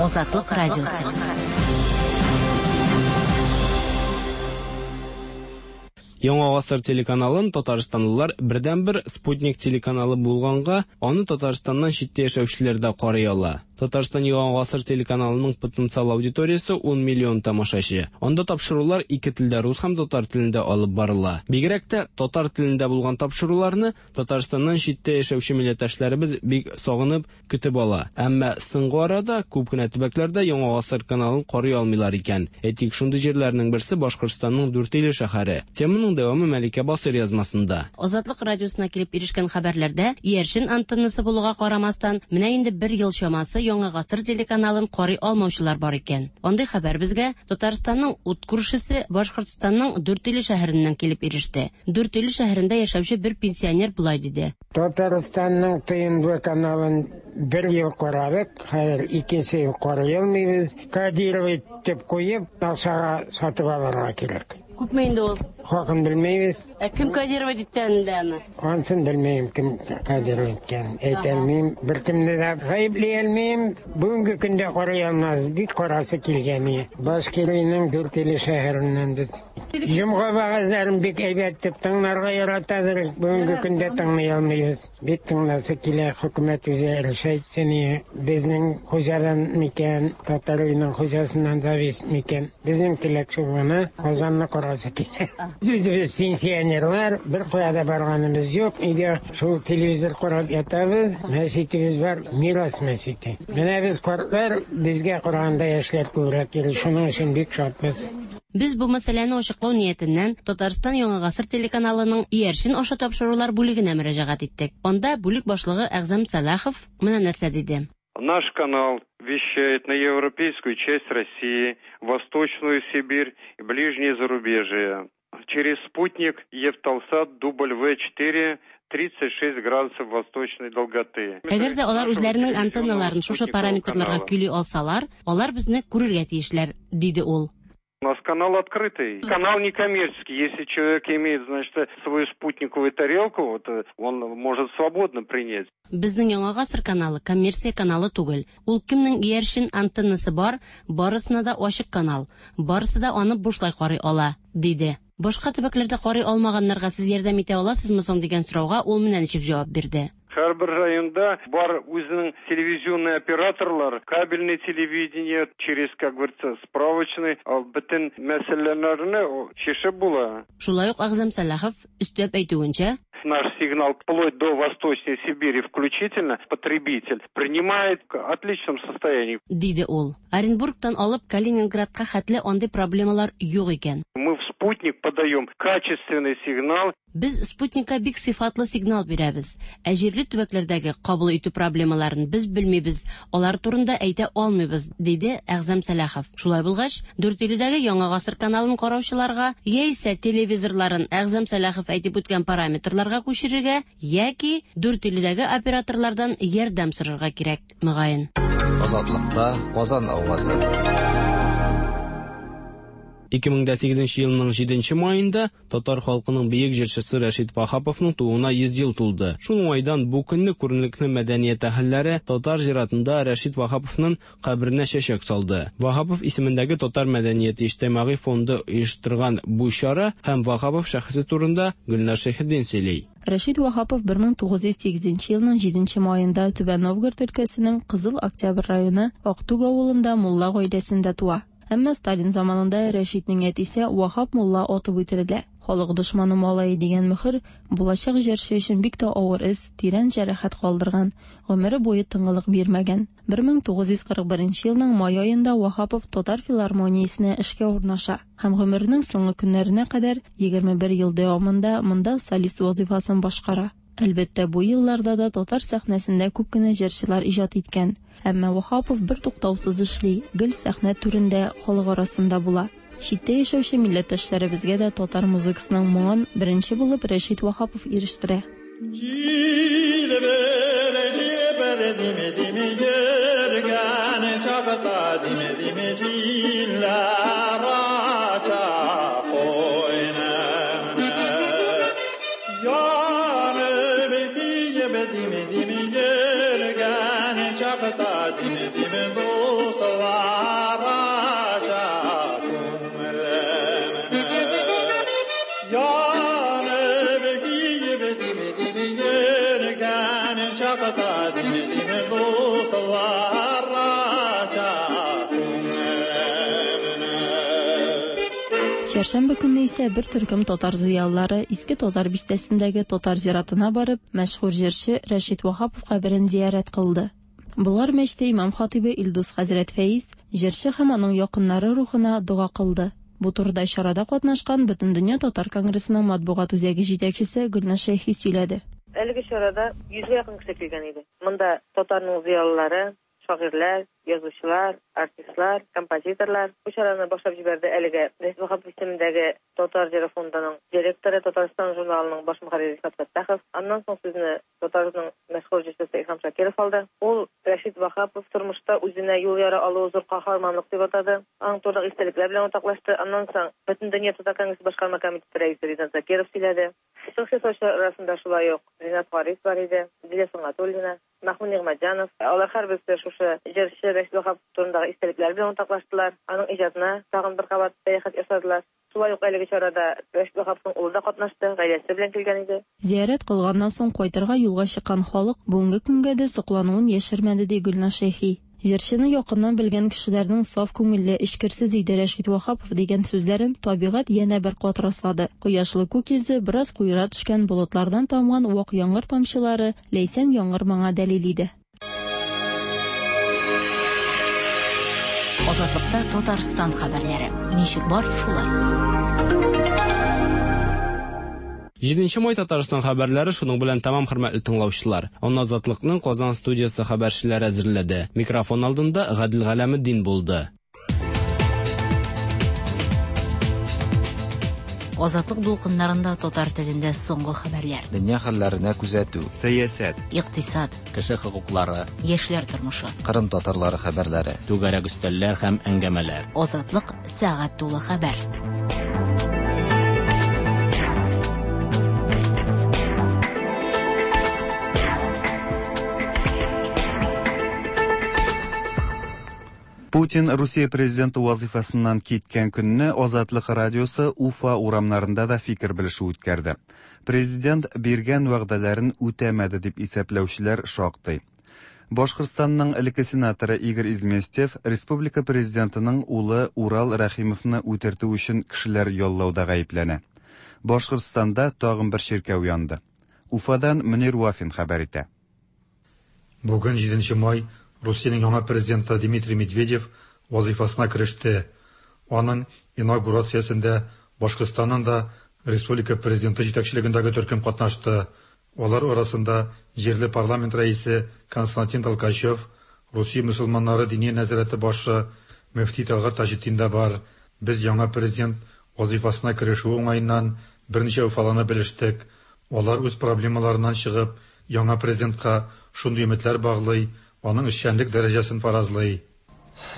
Азатлык радиосы. Яңа гасыр телеканалын татарстанлылар бердәнбер спутник телеканалы булганга, аны Татарстаннан читтә яшәүчеләр дә карый ала. Татарстан Яңа гасыр телеканалының потенциал аудиториясе 10 миллион тамашачы. Анда тапшырулар ике телдә рус һәм татар телендә алып барыла. Бигрәк тә татар телендә булган тапшыруларны Татарстаннан читтә яшәүче милләттәшләребез бик сагынып көтеп ала. Әмма соңгы арада күп кенә төбәкләрдә Яңа гасыр каналын карый алмыйлар икән. Әйтик, шундый җирләрнең берсе Башкортстанның Дүртөйле шәһәре. Теманың дәвамы Мәликә Басыйр язмасында. Азатлык радиосына килеп ирешкән хәбәрләрдә иярчен антеннасы булуга карамастан, менә инде бер ел чамасы Яңа гасыр телеканалын карый алмаучылар бар икән. Андый хәбәр безгә Татарстанның ут күршесе Башкортстанның Дүртөйле шәһәреннән килеп иреште. Дүртөйле шәһәрендә яшәүче бер пенсионер болай диде. Татарстанның ТНВ каналын бер ел карадык, хәзер икенче ел карый алмыйбыз. Кодировать итеп куеп, акчага сатып алырга кирәк. Күпме инде ул? Хакын белмибез. Ә кем кодировать иткән инде аны? Ансын белмим, кем кодировать иткән. Әйтә алмыйм, беркемне дә гаепли алмыйм. Бүгенге көндә карый алмас, бик карасы килгән. Башкириянең Дүртөйле шәһәреннән без. Җомга вәгазьләрен бик әйбәт дип тыңларга яратадыр. Бүгенге көндә тыңлый алмыйбыз. Бик тыңласы килә, хөкүмәт үзе решать итсен. Безнең хуҗадан микән, татар өенең хуҗасыннан зависит микән. Безнең теләк шул гына, Казанны карасы килә. Үзебез пенсионерлар, бер кая да барганыбыз юк. Өйдә шул телевизор карап ятабыз. Мәчетебез бар, Мирас мәчете. Менә без картлар, безгә караганда яшьләр күбрәк йөри. Шуның өчен бик шатбыз. Без бу мәсьәләне ачыклау ниятеннән Татарстан Яңа гасыр телеканалының иярчен аша тапшырулар бүлегенә мөрәҗәгать иттек. Анда бүлек башлыгы Әгъзам Сәлахов менә нәрсә диде. Наш канал вещает на европейскую часть России, Восточную Сибирь и ближнее зарубежье. Через спутник Евталсат W4 36 градусов восточной долготы. Әгәр дә алар үзләренең антенналарын шушы параметрларга көйли алсалар, алар безне күрергә тиешләр, диде ул. У нас канал открытый. Канал некоммерческий. Если человек имеет, значит, свою спутниковую тарелку, вот, он может свободно принять. Безнең Яңа гасыр каналы коммерция каналы түгел. Ул кемнең иярчен антеннасы бар, барысына да ачык канал. Барысы да аны бушлай карый ала, диде. Башка төбәкләрдә карый алмаганнарга сез ярдәм итә аласызмы соң дигән сорауга ул менә ничек җавап бирде. Һәрбер районда бар үзенең телевизионный операторлар, кабельный телевидение, через, как говорится, справочный, бөтен мәсьәләләрне чишеп була. Шулай ук Әгъзам Сәлахов өстәп әйтүенчә, наш сигнал вплоть до Восточной Сибири включительно потребитель принимает в отличном состоянии. Диде ул. Оренбургтан алып Калининградка хәтле андый проблемалар юк икән. Мы в спутник подаем качественный сигнал. Без спутникка бик сыйфатлы сигнал бирәбез. Ә җирле төбәкләрдәге кабул итү проблемаларын без белмибез, алар турында әйтә алмыйбыз, диде Әгъзам Сәлахов. Шулай булгач, Дүртөйледәге Яңа гасыр каналын караучыларга яисә телевизорларын Әгъзам Сәлахов әйтеп үткән параметрларга күчерергә яки Дүртөйледәге операторлардан ярдәм сорарга кирәк, мөгаен. Азатлыкта Казан авазы. 2008 елның 7 маенда татар халкының бөек җырчысы Рәшит Ваһаповның тууына 100 ел тулды. Шул уңайдан бу көнне күренекле мәдәният әһелләре татар зиратында Рәшит Ваһаповның каберенә чәчәк салды. Ваһапов исемендәге Татар мәдәнияте иҗтимагый фонды оештырган бу чара һәм Ваһапов шәхесе турында Гөлнар Шәйхетдин сөйли. Рәшит Ваһапов 1908 елның 7 маенда Түбән Новгород өлкәсенең Кызыл Октябрь районы Актүг авылында мулла гаиләсендә туа. Әмма Сталин заманында Рәшитнең әтисе Ваһап мулла атып үтерелә. Халык дошманы малае дигән мөхер булачак җырчы өчен бик тә авыр эз, тирән җәрәхәт калдырган, гомере буе тынгылык бирмәгән. 1941 елның май аенда Ваһапов Татар филармониясенә эшкә урнаша һәм гомеренең соңгы көннәренә кадәр 21 ел дәвамында монда солист вазыйфасын башкара. Әлбәттә, бу елларда да татар сәхнәсендә күп кенә җырчылар иҗат иткән. Әмма Ваһапов бертуктаусыз эшли, гел сәхнә түрендә, халык арасында була. Читтә яшәүче милләттәшләребезгә дә татар музыкасының моңын беренче булып Рәшит Ваһапов ирештерә. Чәршәмбе көнне исә бер төркем татар зыялылары Иске Татар бистәсендәге татар зиратына барып, мәшһүр җырчы Рәшит Ваһапов каберен зиярәт кылды. Болгар мәчете имам-хатыйбы Илдус хәзрәт Фәиз җырчы һәм аның якыннары рухына дога кылды. Бу турыда чарада катнашкан Бөтендөнья татар конгрессының матбугат үзәге җитәкчесе Гөлназ Шәйхи сөйләде. Әлеге чарада йөзгә якын кеше килгән иде. Монда татарның зыялылары, шагыйрьләр, язучылар, артистлар, композиторлар. Бу чараны башлап җибәрде әлеге Рәшит Ваһапов исемендәге Татар җыры фондының директоры, Татарстан журналының баш мөхәррире Рифат Фәттахов. Аннан соң сүзне татарның мәшһүр җырчысы Илһам Шакиров алды. Ул Рәшит Ваһапов тормышта үзенә юл яра алуы зур каһарманлык дип атады. Аның турындагы истәлекләр белән уртаклашты. Аннан соң Бөтендөнья татар конгрессы башкарма комитеты рәисе Ринат Закиров сөйләде. Чыгыш ясаучылар арасында шулай ук Ринат Харис бар иде, Зилә Сөнгатуллина, Мәхмүт Нигъмәтҗанов. Алар һәрберсе шушы җырчы Рәшит Ваһапов турындагы истәлекләре белән уртаклаштылар, аның иҗатына тагын бер кабат сәяхәт ясадылар. Шулай ук әлеге чарада Рәшит Ваһаповның улы да катнашты, гаиләсе белән килгән иде. Зиярәт кылганнан соң кайтырга юлга чыккан халык бүгенге көнгә дә соклануын яшермәде, ди Гөлназ Шәйхи. Җырчыны якыннан белгән кешеләрнең саф күңелле, эчкерсез иде Рәшит Ваһапов дигән сүзләрен табигать янә бер кат раслады. Кояшлы күк йөзе, бераз куера төшкән болытлардан тамган вак яңгыр тамчылары ләйсән яңгыр моңа дәлил иде. Азатлыкта Татарстан хәбәрләре. Ничек бар, шулай. Җиденче май Татарстан хәбәрләре шуның белән тәмам, хөрмәтле тыңлаучылар. Аны Азатлыкның Казан студиясе хәбәрчеләре әзерләде. Микрофон алдында Гадел Галәметдин булды. Азатлык дулкыннарында татар телендә соңгы хәбәрләр. Дөнья хәлләренә күзәтү. Сәясәт. Икътисад. Кеше хокуклары. Яшьләр тормышы. Кырым татарлары хәбәрләре. Түгәрәк өстәлләр һәм әңгәмәләр. Азатлык сәгать тулы хәбәр. Путин Русия президенты вазыйфасыннан киткән көнне Азатлык радиосы Уфа урамнарында да фикер белешү үткәрде. Президент биргән вәгъдәләрен үтәмәде дип исәпләүчеләр шактый. Башкортстанның элекке сенаторы Игорь Изместьев республика президентының улы Урал Рәхимовны үтертү өчен кешеләр яллауда гаепләнә. Башкортстанда тагын бер чиркәү янды. Уфадан Мөнир Вафин хәбәр итә. Бүген, җиденче май, Русиянең яңа президенты Дмитрий Медведев вазыйфасына кереште. Аның инаугурациясендә Башкортстаннан да республика президенты җитәкчелегендәге төркем катнашты. Алар арасында җирле парламент рәисе Константин Толкачев, Русия мөселманнары Диния нәзарәте башы мөфти Тәлгать Таҗетдин дә бар. Без яңа президент вазыйфасына керешүе уңаеннан берничә уфалыны белештек. Алар үз проблемаларыннан чыгып, яңа президентка шундый өметләр баглый, аның эшчәнлек дәрәҗәсен фаразлый.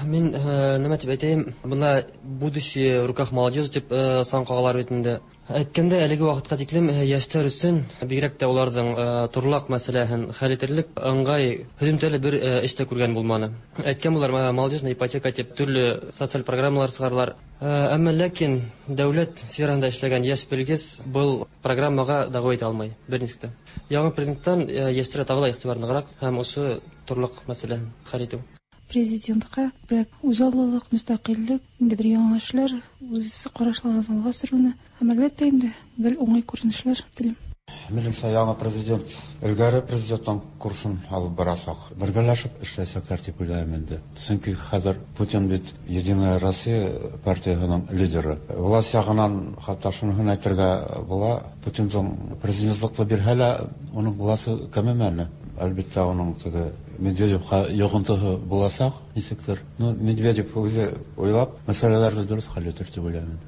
Мин нәмә дип әйтәем, бына будущее в руках молодежи дип сан кагалар бит инде. Әйткәндә, әлеге вакытка тиклем яшьләр өчен, бигрәк тә уларның торлак мәсьәләһен хәл итерлек ыңгай һөземтәле бер эш тә күргән булманы. Әйткән булар, молодежная ипотека дип төрле социаль программалар чыгаралар. Әмма ләкин дәүләт сферасында эшләгән яшь белгеч был программага дәгъва итә алмый берничек тә. Яңа президенттан яшьләргә тагы да игътибар ныграк һәм ошо торлак мәсьәләһен хәл итү. президентка күбрәк үзаллылык, мөстәкыйльлек, ниндидер яңа эшләр, үз карашларын алга сөрүне һәм, әлбәттә инде, гел уңай күренешләр телим. Минемчә, яңа президент элгәре президенттан курсын алып барачак. Бергәләшеп эшләячәкләр дип уйлыйм инде. Чөнки хәзер Путин бит Единая Россия партиясенең лидеры. Власть ягыннан хәтта шунысын әйтергә була, Путинның президентлыкны бирһә лә, уның власте кәмемәне. Әлбәттә, уның теге Медведевка йогынтысы булачак, ничектер. Ну, Медведев үзе уйлап, мәсьәләләрне дөрес хәл итер дип уйлыйм инде.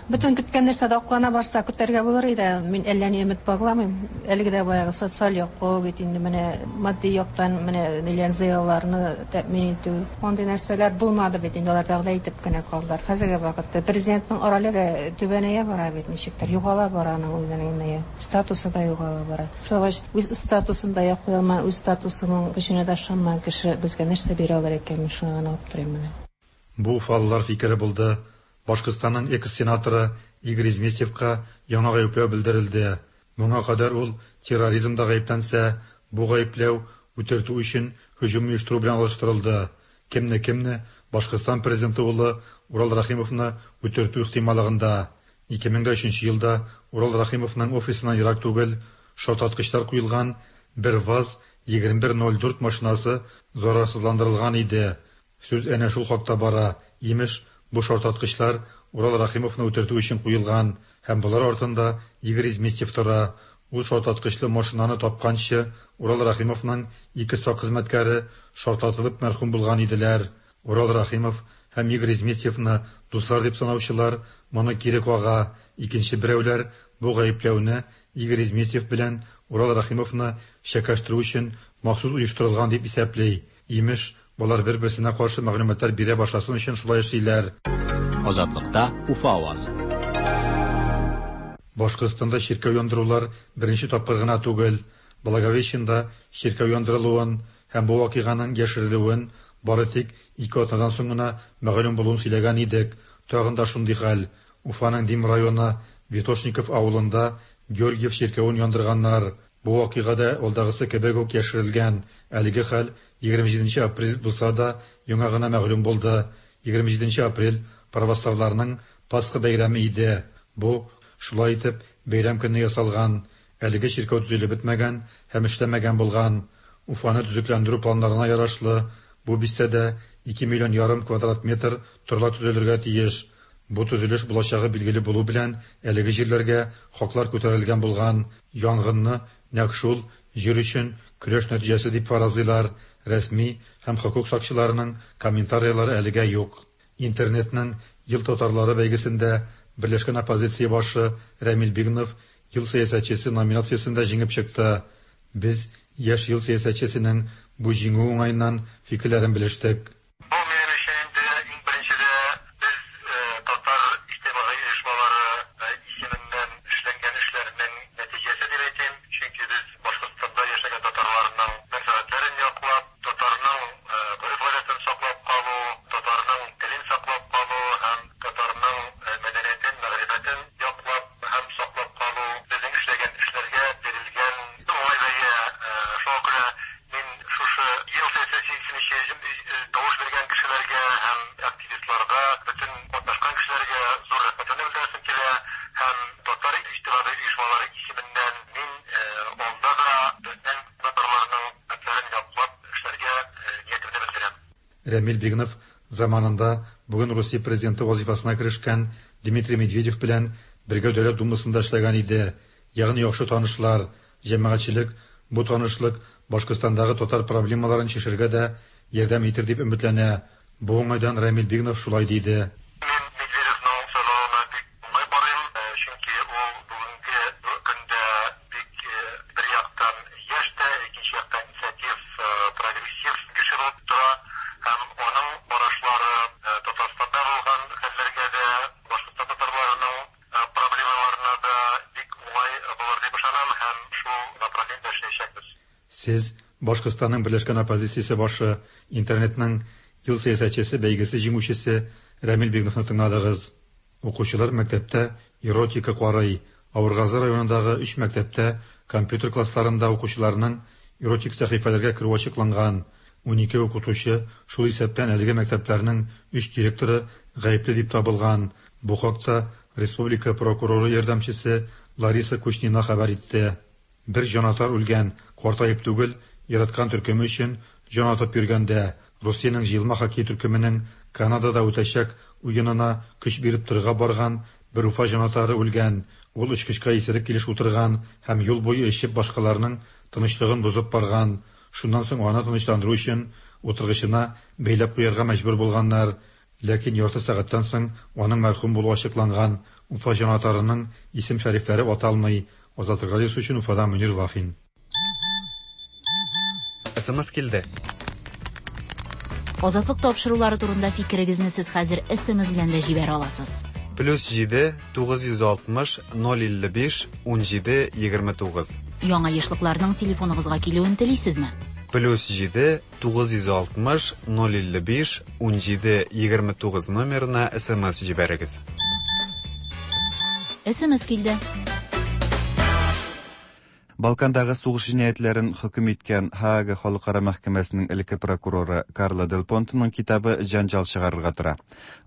Бөтен көткән нәрсә дә аклана барса, көтәргә булыр иде. Мин әллә ни өмет багламыйм. Әлеге дә баягы социаль яклау бит инде менә матди яктан менә ниләр зыялыларны тәэмин итү. Андый нәрсәләр булмады бит инде, алар вәгъдә итеп кенә калдылар. Хәзерге вакытта президентның роле дә түбәнәя бара бит ничектер, югала бара аның үзенең ние, статусы да югала бара. Шулай булгач, үз статусын да яклый алмаган, үз статусының көченә дә ышанмаган кеше безгә нәрсә бирә алыр икән, мин шуңа гына аптырыйм менә. Бу уфалылар фикере булды. Башкортстанның экс-сенаторы Игорь Изместьевка яңа гаепләү белдерелде. Моңа кадәр ул терроризмда гаепләнсә, бу гаепләү үтертү өчен һөҗүм оештыру белән алыштырылды. Кемне-кемне, Башкортстан президенты улы Урал Рәхимовны үтертү ихтималлыгында. 2003 елда Урал Рәхимовның офисыннан ерак түгел шартлаткычлар куелган бер ВАЗ 2104 машинасы зарарсызландырылган иде. Сүз әнә шул хакта бара. Имеш, бу шартлаткычлар Урал Рәхимовны үтертү өчен куелган һәм болар артында Игорь Изместьев тора. Ул шартлаткычлы машинаны тапканчы Урал Рәхимовның ике сак хезмәткәре шартлатылып мәрхүм булган иделәр. Урал Рәхимов һәм Игорь Изместьевны дуслар дип санаучылар моны кире кага, икенче берәүләр бу гаепләүне Игорь Изместьев белән Урал Рәхимовны чәкәштерү өчен махсус оештырылган дип исәпли. Имеш, болар бер-берсенә каршы мәгълүматлар бирә башласын өчен шулай эшлиләр. Азатлыкта Уфа авазы. Башкортстанда чиркәү яндырулар беренче тапкыр гына түгел. Благовещенда чиркәү яндырылуын һәм бу вакыйганың яшерелүен бары тик ике атнадан соң гына мәгълүм булуын сөйләгән идек. Тагын да шундый хәл. Уфаның Дим районы Витошников авылында Георгиев чиркәвен яндырганнар. Бу вакыйга да алдагысы кебек үк яшерелгән. Әлеге хәл 27 нче апрель булса да, яңа гына мәгълүм булды. 27 нче апрель православларның Пасха бәйрәме иде. Бу, шулай итеп, бәйрәм көнне ясалган. Әлеге чиркәү төзелеп бетмәгән һәм эшләмәгән булган. Уфаны төзекләндерү планнарына ярашлы, бу бистәдә ике миллион ярым квадрат метр торлак төзелергә тиеш. Бу төзелеш булачагы билгеле булу белән, әлеге җирләргә хаклар күтәрелгән булган. Янгынны нәкъ шул җир өчен көрәш нәтиҗәсе дип фаразлыйлар. Рәсми һәм хокук сакчыларының комментарийлары әлегә юк. Интернетның Ел татарлары бәйгесендә Берләшкән оппозиция башы Рәмил Бигнов Ел сәясәтчесе номинациясендә җиңеп чыкты. Без яшь ел сәясәтчесенең бу җиңүе уңаеннан фикерләрен белештек. Бу минем өчен инде иң беренчедә без татар иҗтимагый оешмалары исеменнән эшләнгән эшләрнең нәтиҗәсе дип әйтим. Чөнки без Башкортстанда яшәгән татарларның мәнфәгатьләрен яклап, татарның гореф-гадәтен саклап калу, татарның телен саклап калу һәм татарның мәдәниятен, мәгърифәтен яклап һәм саклап калу, безнең эшләгән эшләргә бирелгән уңай бәя. Шуңа күрә мин шушы Ел сәясәтчесе тавыш биргән кешеләргә һәм активистларга, бөтен катнашкан кешеләргә зур рәхмәтемне белдерәсем килә һәм татар иҗтимагый оешмалары исеменнән мин алда да безнең татарларның мәнфәгатьләрен яклап эшләргә ниятемне белдерәм. Рәмил Бигнов заманында бүген Русия президенты вазифасына керешкән Дмитрий Медведев белән бергә Дәүләт Думасында эшләгән иде. Ягъни яхшы танышлар. Җәмәгатьчелек бу танышлык Башкортстандагы татар проблемаларын чишергә дә ярдәм итер дип өметләнә. Бу уңайдан Рәмил Бигнов шулай диде. Мин Медведевның сайлавына бик уңай карыйм, чөнки ул бүгенге көндә бик бер яктан яшь тә, икенче яктан инициатив, прогрессив кеше булып тора һәм аның карашлары Татарстанда булган хәлләргә дә, Башкортстан татарларының проблемаларына да бик уңай булыр дип ышанам һәм шул направлениедә эшләячәкбез. Сез, Башкортстанның Берләшкән оппозициясе башы, интернетның Ел сәясәтчесе бәйгесе җиңүчесе Рәмил Бигновны тыңладыгыз. Укучылар мәктәптә эротика карый. Авыргазы районындагы өч мәктәптә компьютер классларында укучыларның эротик сәхифәләргә керүе ачыкланган. 12 укытучы, шул исәптән әлеге мәктәпләрнең өч директоры гаепле дип табылган. Бу хакта республика прокуроры ярдәмчесе Лариса Кучнина хәбәр итте. Бер җанатар үлгән, картаеп түгел, яраткан төркеме өчен җан атып йөргәндә. Русиянең җыелма хоккей төркеменең Канадада үтәчәк уенына көч биреп торырга барган бер Уфа җанатары үлгән. Ул очкычка исерек килеш утырган һәм юл буе эчеп башкаларның тынычлыгын бозып барган. Шуннан соң аны тынычландыру өчен утыргычына бәйләп куярга мәҗбүр булганнар. Ләкин ярты сәгатьтән соң аның мәрхүм булуы ачыкланган. Уфа җанатарының исем-шәрифләре аталмый. Азатлык радиосы өчен Уфадан Мөнир Вафин. СМС килде. Азатлык тапшырулары турында фикерегезне сез хәзер СМС белән дә җибәрә аласыз. Плюс 7 960 055 17 29. Яңа ешлыкларның телефоныгызга килүен телисезме? Плюс 7 960 055 17 29 номерына СМС җибәрегез. СМС килде. Балкандагы сугыш җинаятьләрен хөкем иткән Һаага халыкара мәхкәмәсенең элекке прокуроры Карло Дель Понтеның китабы җәнҗал чыгарырга тора.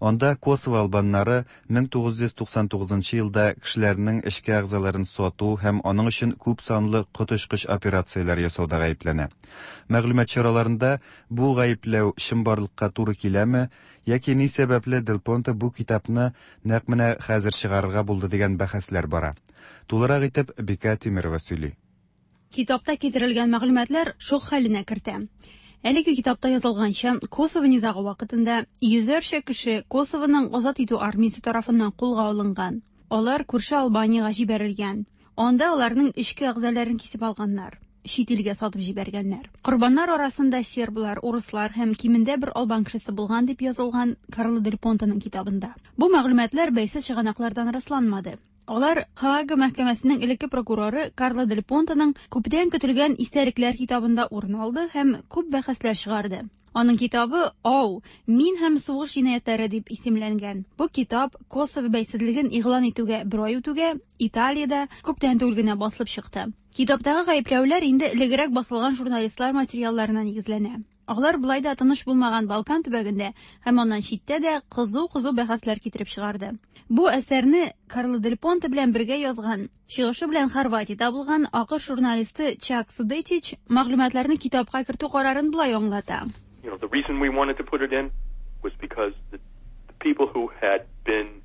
Анда Косово албаннары 1999 елда кешеләрнең эчке әгъзаларын сату һәм аның өчен күп санлы коточкыч операцияләр ясауда гаепләнә. Мәгълүмат чараларында бу гаепләү чынбарлыкка туры киләме яки ни сәбәпле Дель Понте бу китапны нәкъ менә хәзер чыгарырга булды дигән бәхәсләр бара. Тулырак итеп Бикә Тимирова сөйли. Китапта китерелгән мәгълүматлар шок хәленә кертә. Әлеге китапта язылганча, Косово низагы вакытында йөзләрчә кеше Косовоның азат итү армиясе тарафыннан кулга алынган. Алар күрше Албаниягә җибәрелгән. Анда аларның эчке әгъзаларын кисеп алганнар, чит илгә сатып җибәргәннәр. Корбаннар арасында серблар, урыслар һәм кимендә бер албан кешесе булган дип язылган Карло Дель Понтеның китабында. Бу мәгълүматлар бәйсез чыганаклардан расланмады. Алар Һаага мәхкәмәсенең элекке прокуроры Карло Дель Понтеның күптән көтелгән истәлекләр китабында урын алды һәм күп бәхәсләр чыгарды. Аның китабы «Ау, мин һәм сугыш җинаятьләре» дип исемләнгән. Бу китап Косово бәйсезлеген игълан итүгә бер ай үтүгә Италиядә күптән түгел генә басылып чыкты. Китаптагы гаепләүләр инде элегрәк басылган журналистлар материалларына нигезләнә. Алар болай да тыныч булмаган Балкан төбәгендә һәм аннан читтә дә кызу-кызу бәхәсләр китереп чыгарды. Бу әсәрне Карло Дель Понте белән бергә язган, чыгышы белән Хорватиядә булган АКШ журналисты Чак Судетич мәгълүматларны китапка кертү карарын болай аңлата. The reason we wanted to put it in was because the people who had been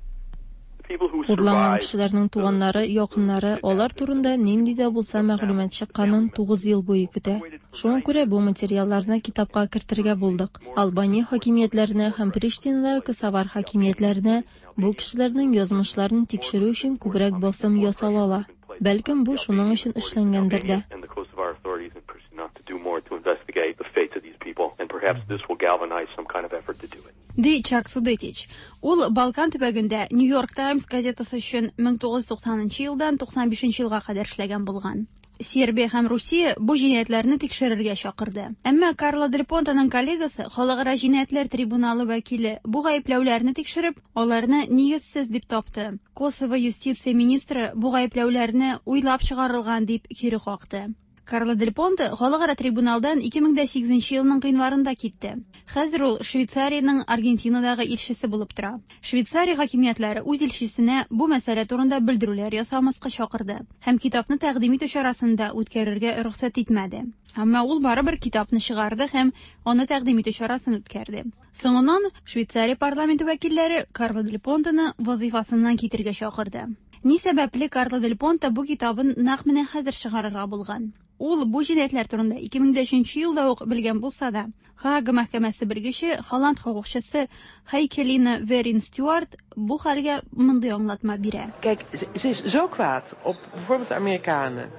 Урланган кешеләрнең туганнары, якыннары алар турында нинди дә булса мәгълүмат чыкканын 9 ел буе көтә. Шуңа күрә бу материалларны китапка кертергә булдык. Албания хакимиятләренә һәм Приштинадагы косовар хакимиятләренә бу кешеләрнең язмышларын тикшерү өчен күбрәк басым ясала ала. Бәлкем бу шуның өчен эшләнгәндер дә. and the Kosovar authorities in Pristina to do more to investigate the fates of these people, and perhaps this will galvanize some kind of effort to do it. Ди Чак Судетич. Ул Балкан төбәгендә New York Times газетасы өчен 1990 елдан 95 елга кадәр эшләгән булган. Сербия һәм Русия бу җинаятьләрне тикшерергә чакырды. Әмма Карло Дель Понтеның коллегасы, Халыкара җинаятьләр трибуналы вәкиле бу гаепләүләрне тикшереп, аларны нигезсез дип тапты. Косово юстиция министры бу гаепләүләрне уйлап чыгарылган дип кире какты. Карло Дель Понте халыкара трибуналдан 2008 елның гыйнварында китте. Хәзер ул Швейцариянең Аргентинадагы илчесе булып тора. Швейцария хакимиятләре үз илчесенә бу мәсьәлә турында белдерүләр ясамаска чакырды һәм китапны тәкъдим итү чарасын да үткәрергә рөхсәт итмәде. Әмма ул барыбер китапны чыгарды һәм аны тәкъдим итү чарасын үткәрде. Соңыннан Швейцария парламенты вәкилләре Карло Дель Понтены вазифасыннан китергә чакырды. Ни сәбәпле Карло Дель Понте бу китабын нәкъ менә хәзер чыгарырга булган? Ул бу җинаятьләр турында 2003 елда ук белгән булса да, Һаага мәхкәмәсе белгече, Холланд хокукчысы Хайкелина Верин Стюарт бу хәлгә мондый аңлатма бирә. Kijk, ze is zo kwaad op bijvoorbeeld de Amerikanen.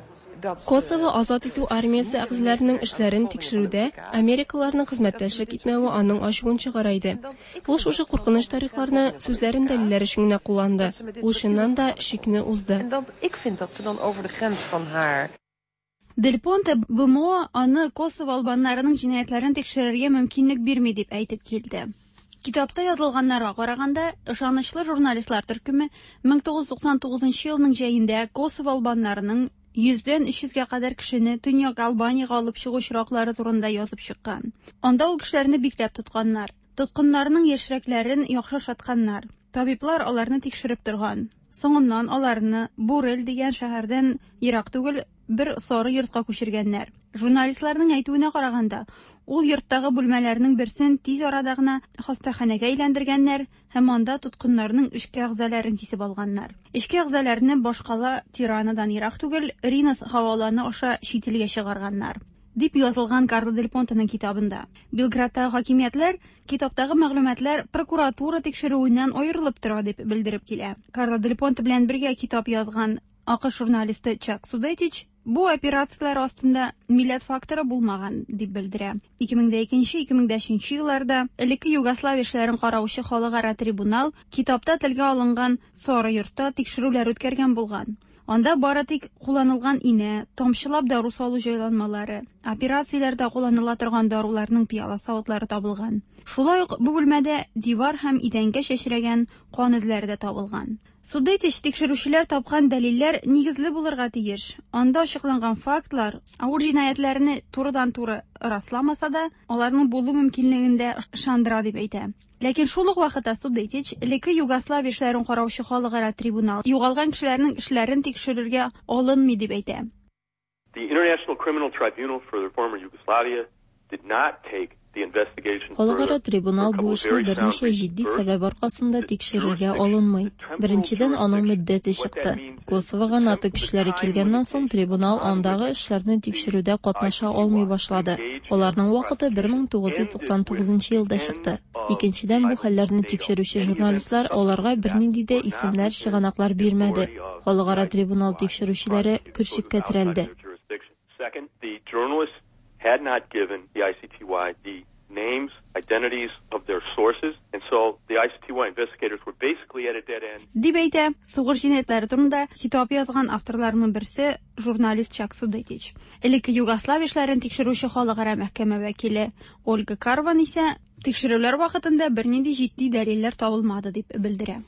Косово азат итү армиясе әгъзаларының эшләрен тикшерүдә америкалыларның хезмәттәшлек итмәве аның ачуын чыгара иде. Ул шушы куркыныч тарихларны сүзләрен дәлилләр өчен генә кулланды. Ул чыннан да чикне узды. En dan, ik vind dat ze dan over de grens van haar Дель Понте БМО аны Косово албаннарының җинаятьләрен тикшерергә мөмкинлек бирми дип әйтеп килде. Китапта язылганнарга караганда, ышанычлы журналистлар төркеме 1999 елның җәендә Косово албаннарының 100дән 300гә кадәр кешене Төньяк Албаниягә алып чыгу очраклары турында язып чыккан. Анда ул кешеләрне бикләп тотканнар. Тоткыннарның яшьрәкләрен яхшы ашатканнар. Табиблар аларны тикшереп торган. Соңыннан аларны Бурель дигән шәһәрдән ерак түгел бер сары йортка күчергәннәр. Журналистларның әйтүенә караганда, ул йорттагы бүлмәләрнең берсен тиз арада гына хастаханәгә әйләндергәннәр һәм анда тоткыннарның эчке әгъзаларын кисеп алганнар. Эчке әгъзаларны башкала Тиранадан ерак түгел Ринас һаваланы аша чит илгә чыгарганнар, дип язылган Карло Дель Понтеның китабында. Белградтагы хакимиятләр китаптагы мәгълүматлар прокуратура тикшерүеннән аерылып тора дип белдереп килә. Карло Дель Понте белән бергә китап язган АКШ журналисты Чак Судетич бу операцияләр астында милләт факторы булмаган дип белдерә. 2002-2003 елларда элекке Югославия эшләрен караучы халыкара трибунал китапта телгә алынган сары йортта тикшерүләр үткәргән булган. Анда бары тик кулланылган инә, тамчылап дару салу җайланмалары, операцияләрдә кулланыла торган даруларның пыяла савытлары табылган. Шулай ук бу бүлмәдә дивар һәм идәнгә чәчрәгән кан эзләре дә табылган. Судетич тикшерүчеләр тапкан дәлилләр нигезле булырга тиеш. Анда ачыкланган фактлар авыр җинаятьләрне турыдан-туры расламаса да, аларның булу мөмкинлеген дә ышандыра дип әйтә. Ләкин шул ук вакытта Судетич элекке Югославия эшләрен караучы халыкара трибунал югалган кешеләрнең эшләрен тикшерергә алынмый дип әйтә. The International Criminal Tribunal for the former Yugoslavia did not take the investigation Халыкара further трибунал for a бу couple of эшне very sound берничә reasons. җитди First, сәбәп аркасында тикшерергә алынмый. Беренчедән, аның мөддәте чыкты. Косовога НАТО көчләре килгәннән соң трибунал андагы эшләрне тикшерүдә катнаша алмый башлады. Аларның вакыты 1999 елда чыкты. Икенчедән, бу хәлләрне тикшерүче журналистлар аларга бернинди дә исемнәр, чыганаклар бирмәде. Халыкара трибунал тикшерүчеләре көрчеккә терәлде. jurisdiction. Second, the journalists had not given the ICTY the names, identities of their sources, and so the ICTY investigators were basically at a dead end. Дип әйтә сугыш җинаятьләре турында китап язган авторларның берсе журналист Чак Судетич. Элекке Югославия эшләрен тикшерүче халыкара мәхкәмә вәкиле Ольга Карван исә тикшерүләр вакытында бернинди җитди дәлилләр табылмады дип белдерә.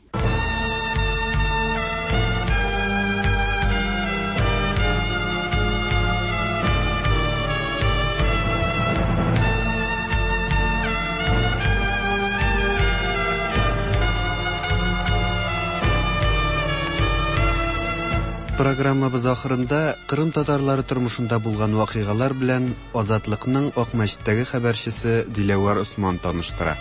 Программабыз ахырында Кырым татарлары тормышында булган вакыйгалар белән Азатлыкның Акмәчеттәге хәбәрчесе Диләвәр Осман таныштыра.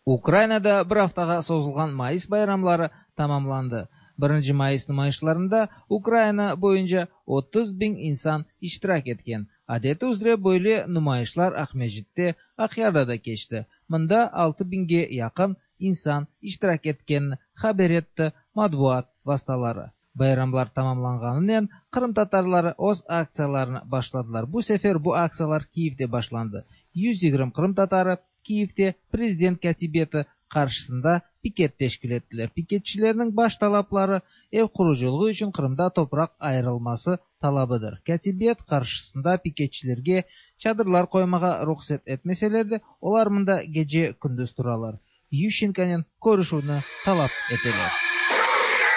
Украинада бер һәфтәгә созылган Майыс байрамлары тамамланды. 1 Майыс нумайышларында Украина буенча 30 мең инсан иштирак иткән. Адәте үзрә бөйле нумайышлар Акмәҗиттә, Акъярда да кечте. Монда 6 меңгә якын инсан иштирак иткәнен хәбәр итте матбугат васыталары. Байрамлар тамамланганыннан Кырым татарлары үз акцияларын башладылар. Бу сәфәр бу акциялар Киевдә башланды. 120 Кырым татары Киевдә президент кәтибияте каршысында пикет тәшкил иттеләр. Пикетчеләрнең баш талаплары эв коручылыгы өчен Кырымда топрак аерылмасы талабыдыр. Кәтибият каршысында пикетчеләргә чадырлар коймага рөхсәт итмәсәләр дә, алар монда геҗә көндез торалар. Ющенконен көрүшүне талап итәләр.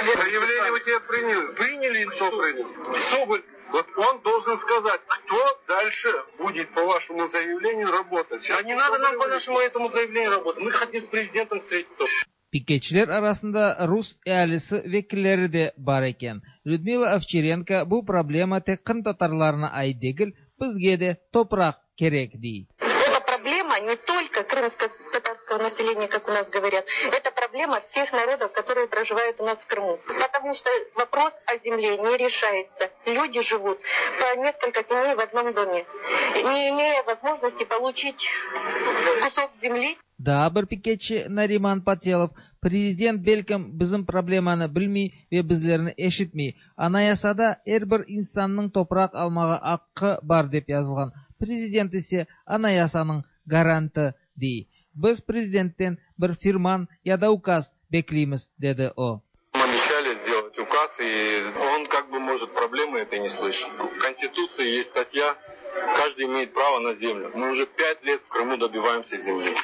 Заявление у тебя приняли. Приняли или что приняли? Соболь, вот он должен сказать, кто дальше будет по вашему заявлению работать. А не надо нам по нашему этому заявлению работать. Мы хотим с президентом встретиться. Пикетчеләр арасында рус әһалисе вәкилләре дә бар икән. Людмила Овчаренко бу проблема тек кырым татарларына аит түгел, безгә дә топрак кирәк ди. Это проблема не только крымско-татарского населения, как у нас говорят, это проблема всех народов, которые проживают у нас в Крыму. Потому что вопрос о земле не решается. Люди живут по несколько семей в одном доме, не имея возможности получить кусок земли. Daa bir piketçi Нариман Пателов, президент бәлкем безнең проблеманы белми вә безләрне ишетми. Анаясада һәрбер инсанның топрак алмага хакы бар дип язылган. Президент исә анаясаның гаранты ди. Без президенттән бер фирман я да указ беклибез, диде о. Мы обещали сделать указ, и он как бы может проблемы этой не слышит. В Конституции есть статья Каждый имеет право на землю. Мы уже 5 лет в Крыму добиваемся земли.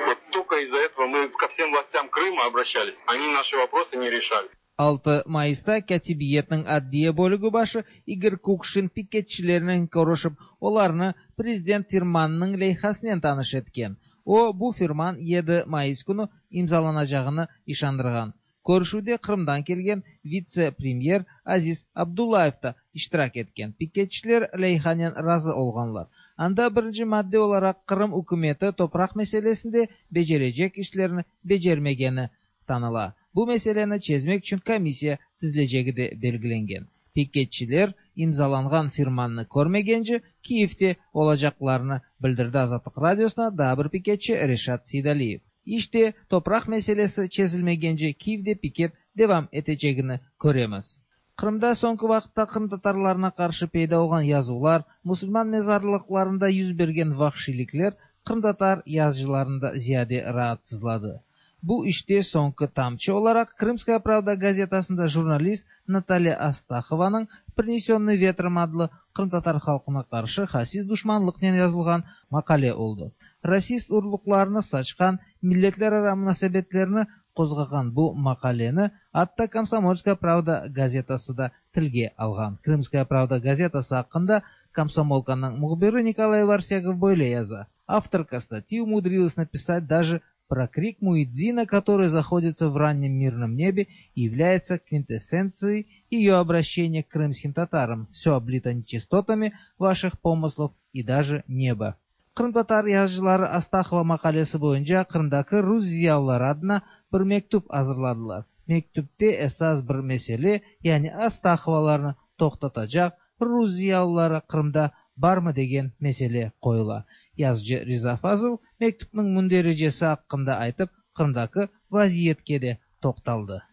Вот только из-за этого мы ко всем властям Крыма обращались. Они наши вопросы не решали. 6 Mayısta Kâtibiyetniñ adliye bölügi başı İgor Kukşin piketçilernen körüşip, olarnı prezident firmanınıñ leyhasınen tanış etken. O, bu firman 7 mayıs künü imzalanacağını işandırğan. Körüşüvde Qırımdan kelgen vitse-premyer Aziz Abdullayev da iştirak etken. Piketçiler leyhanen razı olğanlar. Anda birinci madde olaraq Qırım ükümeti topraq meselesinde becerecek işlerni becermegeni tanıla. Bu meseleni çezmek içün komissiya tizilecegi de belgilengen. Piketçiler imzalanğan firmannı körmegence Kiyevde olacaqlarını bildirdi Azatlıq Radiosına daa bir piketçi Reşat Seydaliyev. İşte, topraq meselesi çezilmegence Kiyevde piket devam etecegini köremiz. Qırımda soñki vaqıtta qırımtatarlarına qarşı peyda olğan yazuvlar, musulman mezarlıqlarında yüz bergen vahşiylikler qırımtatar yazıcılarını da ziyade raatsızladı. Bu işte soñki tamçı olaraq Krımskaya pravda gazetasında jurnalist Natalya Astahovanıñ Prinesennıy vetrom adlı qırımtatar halqına qarşı hasis duşmanlıqnen yazılğan maqale oldı. Rasist urluqlarını saçqan, milletlerara munasebetlerni qozğağan bu maqaleni atta Komsomolskaya pravda gazetası da tilge alğan. Krımskaya pravda gazetası aqqında Komsomolkanıñ mühbiri Nikolay Varsegov böyle yaza, Авторка статьи умудрилась написать даже про крик муэдзина, который заходится в раннем мирном небе и является квинтэссенцией ее обращения к крымским татарам. Все облито нечистотами ваших помыслов и даже небо. Qırımtatar yazıcıları Astahova maqalesi boyunca Qırımdaki rus ziyalıları adına bir mektüp azırladılar. Mektüpte esas bir mesele, yani Astahovalarnı toqtatacaq rus ziyalıları Qırımda barmı degen mesele qoyula. Yazıcı Riza Fazıl mektüpniñ mündericesi aqqında aytıp, Qırımdaki vaziyetke de toqtaldı.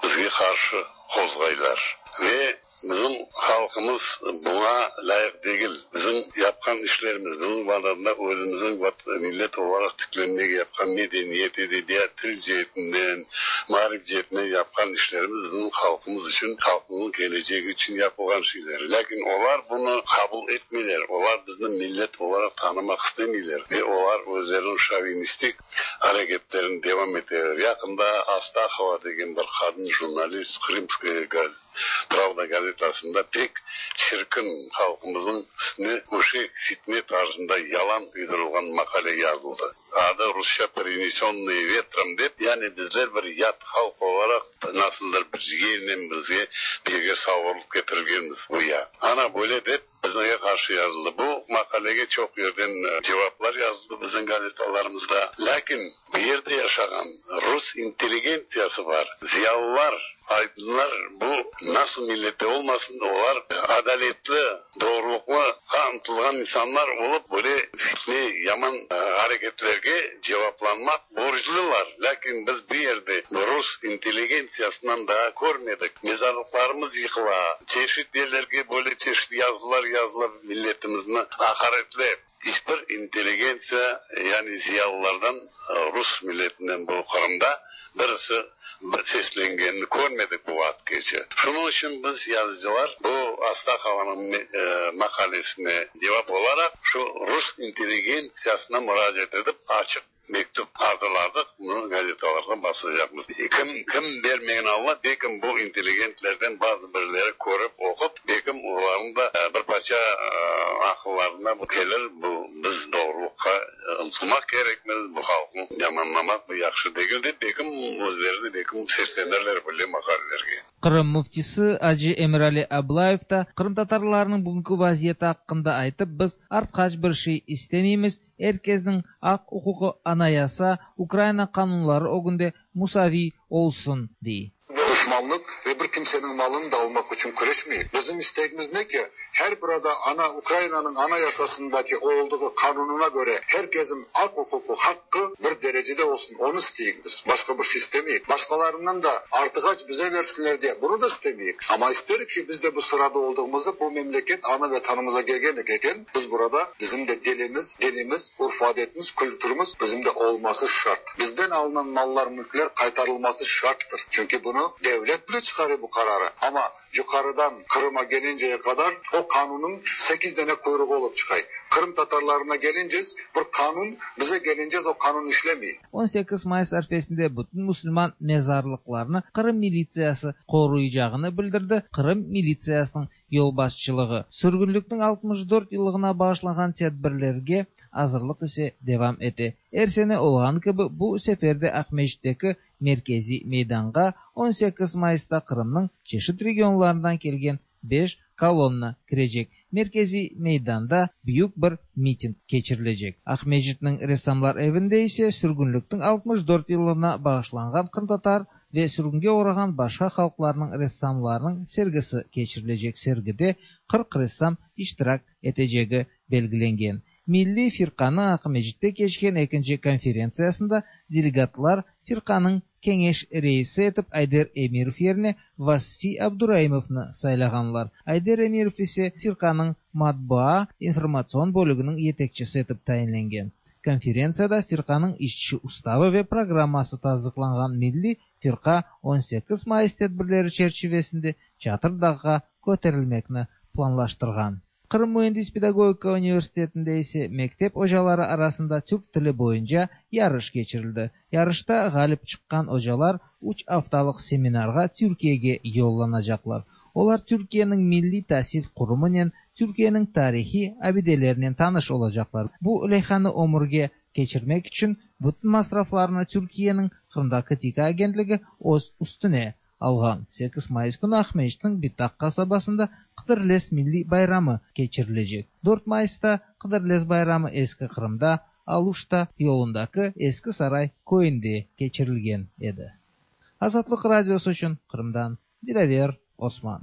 Bizge qarşı qozğaylar ve bizim halqımız buña lâyıq degil. Bizim yapqan işlerimiz, bizim Vatanda özümizniñ millet olaraq tiklenmege yapqan medeniyet, edebiyat, til ceetinden, maarif ceetinden yapqan işlerimiz bizim halqımız içün, halqımıznıñ kelecegi içün yapılğan şeyler. Lâkin olar bunı qabul etmeyler, olar bizni millet olaraq tanımaq istemeyler ve olar özleriniñ şovinistik areketlerini devam eteler. Yaqında Astahova degen bir qadın jurnalist Krımskaya pravda gazetasında pek çirkin, halqımıznıñ üstüne öşek, fitne tarzında yalan uydurılğan maqale yazıldı. Adı rusça Prinesennıye vetrom dep, yani bizler bir yat halq olaraq nasıldır bir yelnen bizge bir yerge savurılıp ketirilgenmiz güya. Ana böyle dep bizge qarşı yazıldı. Bu maqalege çoq yerden cevaplar yazıldı bizim gazetalarımızda. Lâkin bu yerde yaşağan rus intelligentsiyası bar, ziyalılar, Aydınlar bu nasıl millette olmasın, olar adaletli, doğrulıqlıqa ıntılğan insanlar olıp, böyle fitne, yaman areketlerge cevaplanmaq borclular. Lâkin biz bu yerde rus intelligentsiyasından daa körmedik. Mezarlıqlarımız yıqıla, çeşit yerlerge böyle çeşit yazılar yazıla milletimizni aqaretlep. İç bir intelligentsiya, yani ziyalılardan, rus milletinden bu Qırımda birisi seslengenini körmedik bu vaqıtqece. Şunıñ içün biz, yazıcılar, bu Astahovanıñ maqalesine cevap olaraq şu rus intelligentsiyasına muracaat etip, açıq mektüp azırladıq, bunı gazetalarğa basacaqmız. Kim, kim bermegen Alla, belkim bu intelligentlerden bazı birleri körip, oqup, belkim olarnıñ da bir parça aqıllarına bu kelir, bu biz doğrulıqqa ıntılmaq kerekmiz, bu halqnı yamanlamaq bu yahşı degil dep, belkim özleri de belkim seslenirler böyle maqalelerge. Qırım müftisi acı Emirali Ablayev da qırımtatarlarnıñ bugünki vaziyeti aqqında aytıp, biz artqaç bir şey istemeymiz, Er kesniñ aq-uquqı Anayasa, Ukraina qanunları ögünde musaviy olsun, dey. Duşmanlıq ve bir kimseniñ malını da almaq içün küreşmeyik. Bizim istegimiz ne ki, her burada ana Ukrainanıñ Anayasasındaki oldığı qanunına köre her kesin aq-uquqı, haqqı bir derecede olsun, onı isteyik biz. Başqa bir şey istemeyik. Başqalarından da artığaç bize versinler diye bunı da istemeyik. Amma isterik ki, biz de bu sırada oldığımızı bu memleket ana Vetanımıza kelgen eken, Biz burada, bizim de dilimiz, dinimiz, urf-adetimiz, kültürimiz bizim de olması şart. Bizden alınan mallar, mülkler qaytarılması şarttır. Çünki bunı devlet. Devlet bile çıkarıyor bu kararı. Ama yukarıdan Kırım'a gelinceye kadar o kanunun 8 tane kuyruğu olup çıkay. Kırım Tatarlarına gelince bir kanun, bize gelince o kanun işlemiyor. 18 Mayıs arfesinde bütün Müslüman mezarlıklarını Kırım militsiyası koruyacağını bildirdi. Kırım militsiyasının yolbaşçılığı. Sürgünlükün 64 yıllığına bağışlanğan tedbirlerge azırlıq ise devam ete. Er sene olğan kibi bu sefer de Aqmescitteki merkeziy meydanğa 18 Mayısta Qırımnıñ çeşit regionlarından kelgen 5 kolonna kirecek. Merkeziy meydanda büyük bir miting keçirilecek. Aqmescitniñ Ressamlar evinde ise sürgünliktiñ 64 yıllığına bağışlanğan qırımtatar ve sürgünge oğrağan başqa halqlarnıñ ressamlarınıñ sergisi keçirilecek. Sergide 40 ressam iştirak etecegi belgilengen. Milliy firqanıñ Aqmescitte keçken ekinci konferentsiyasında delegatlar firqanıñ keñeş reisi etip Ayder Emirov yerine Vasfi Abduraimovnı saylağanlar. Ayder Emirov ise firqanıñ matbaa informatsion bölüginiñ yetekçisi etip tayinlengen. Konferentsiyada firqanıñ işçi ustavı ve programması tasdıqlanğan. Milliy firqa 18 mayıs tedbirleri çerçivesinde Çatır Dağğa köterilmekni planlaştırğan. Qırım müendis-pedagogika universitetinde ise mektep ocaları arasında türk tili boyunca yarış keçirildi. Yarışta ğalip çıqqan ocalar üç aftalıq seminarğa Türkiyege yollanacaqlar. Olar Türkiyeniñ milliy tasil qurumınen, Türkiyeniñ tarihiy abidelerinen tanış olacaqlar. Bu leyhanı ömürge keçirmek içün bütün masraflarnı Türkiyeniñ Qırımdaki TİKA agentligi öz üstüne alğan. 8 mayıs künü Aqmescitniñ Bitak qasabasında Qıdırlez milliy bayramı keçirilecek. 4 mayısta Qıdırlez bayramı Eski Qırımda, Aluşta yolundaki Eski Saray köyünde keçirilgen edi. Azatlıq Radiosı içün Qırımdan Dilâver Osman.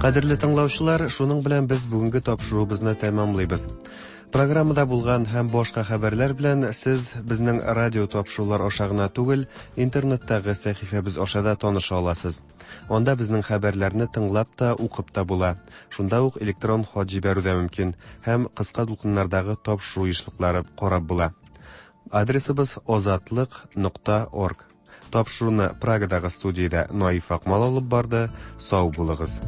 Кадерле тыңлаучылар, шуның белән без бүгенге тапшыруыбызны тәмамлыйбыз. Программада булган һәм башка хәбәрләр белән сез безнең радио тапшырулар аша гына түгел, интернеттагы сәхифәбез аша да таныша аласыз. Анда безнең хәбәрләрне тыңлап та, укып та була. Шунда ук электрон хат җибәрү дә мөмкин һәм кыска дулкыннардагы тапшыру ешлыклары карап була. Адресыбыз озатлык нокта орг. Тапшыруны Прагадагы студиядә Наиф Акмал алып барды. Сау булыгыз.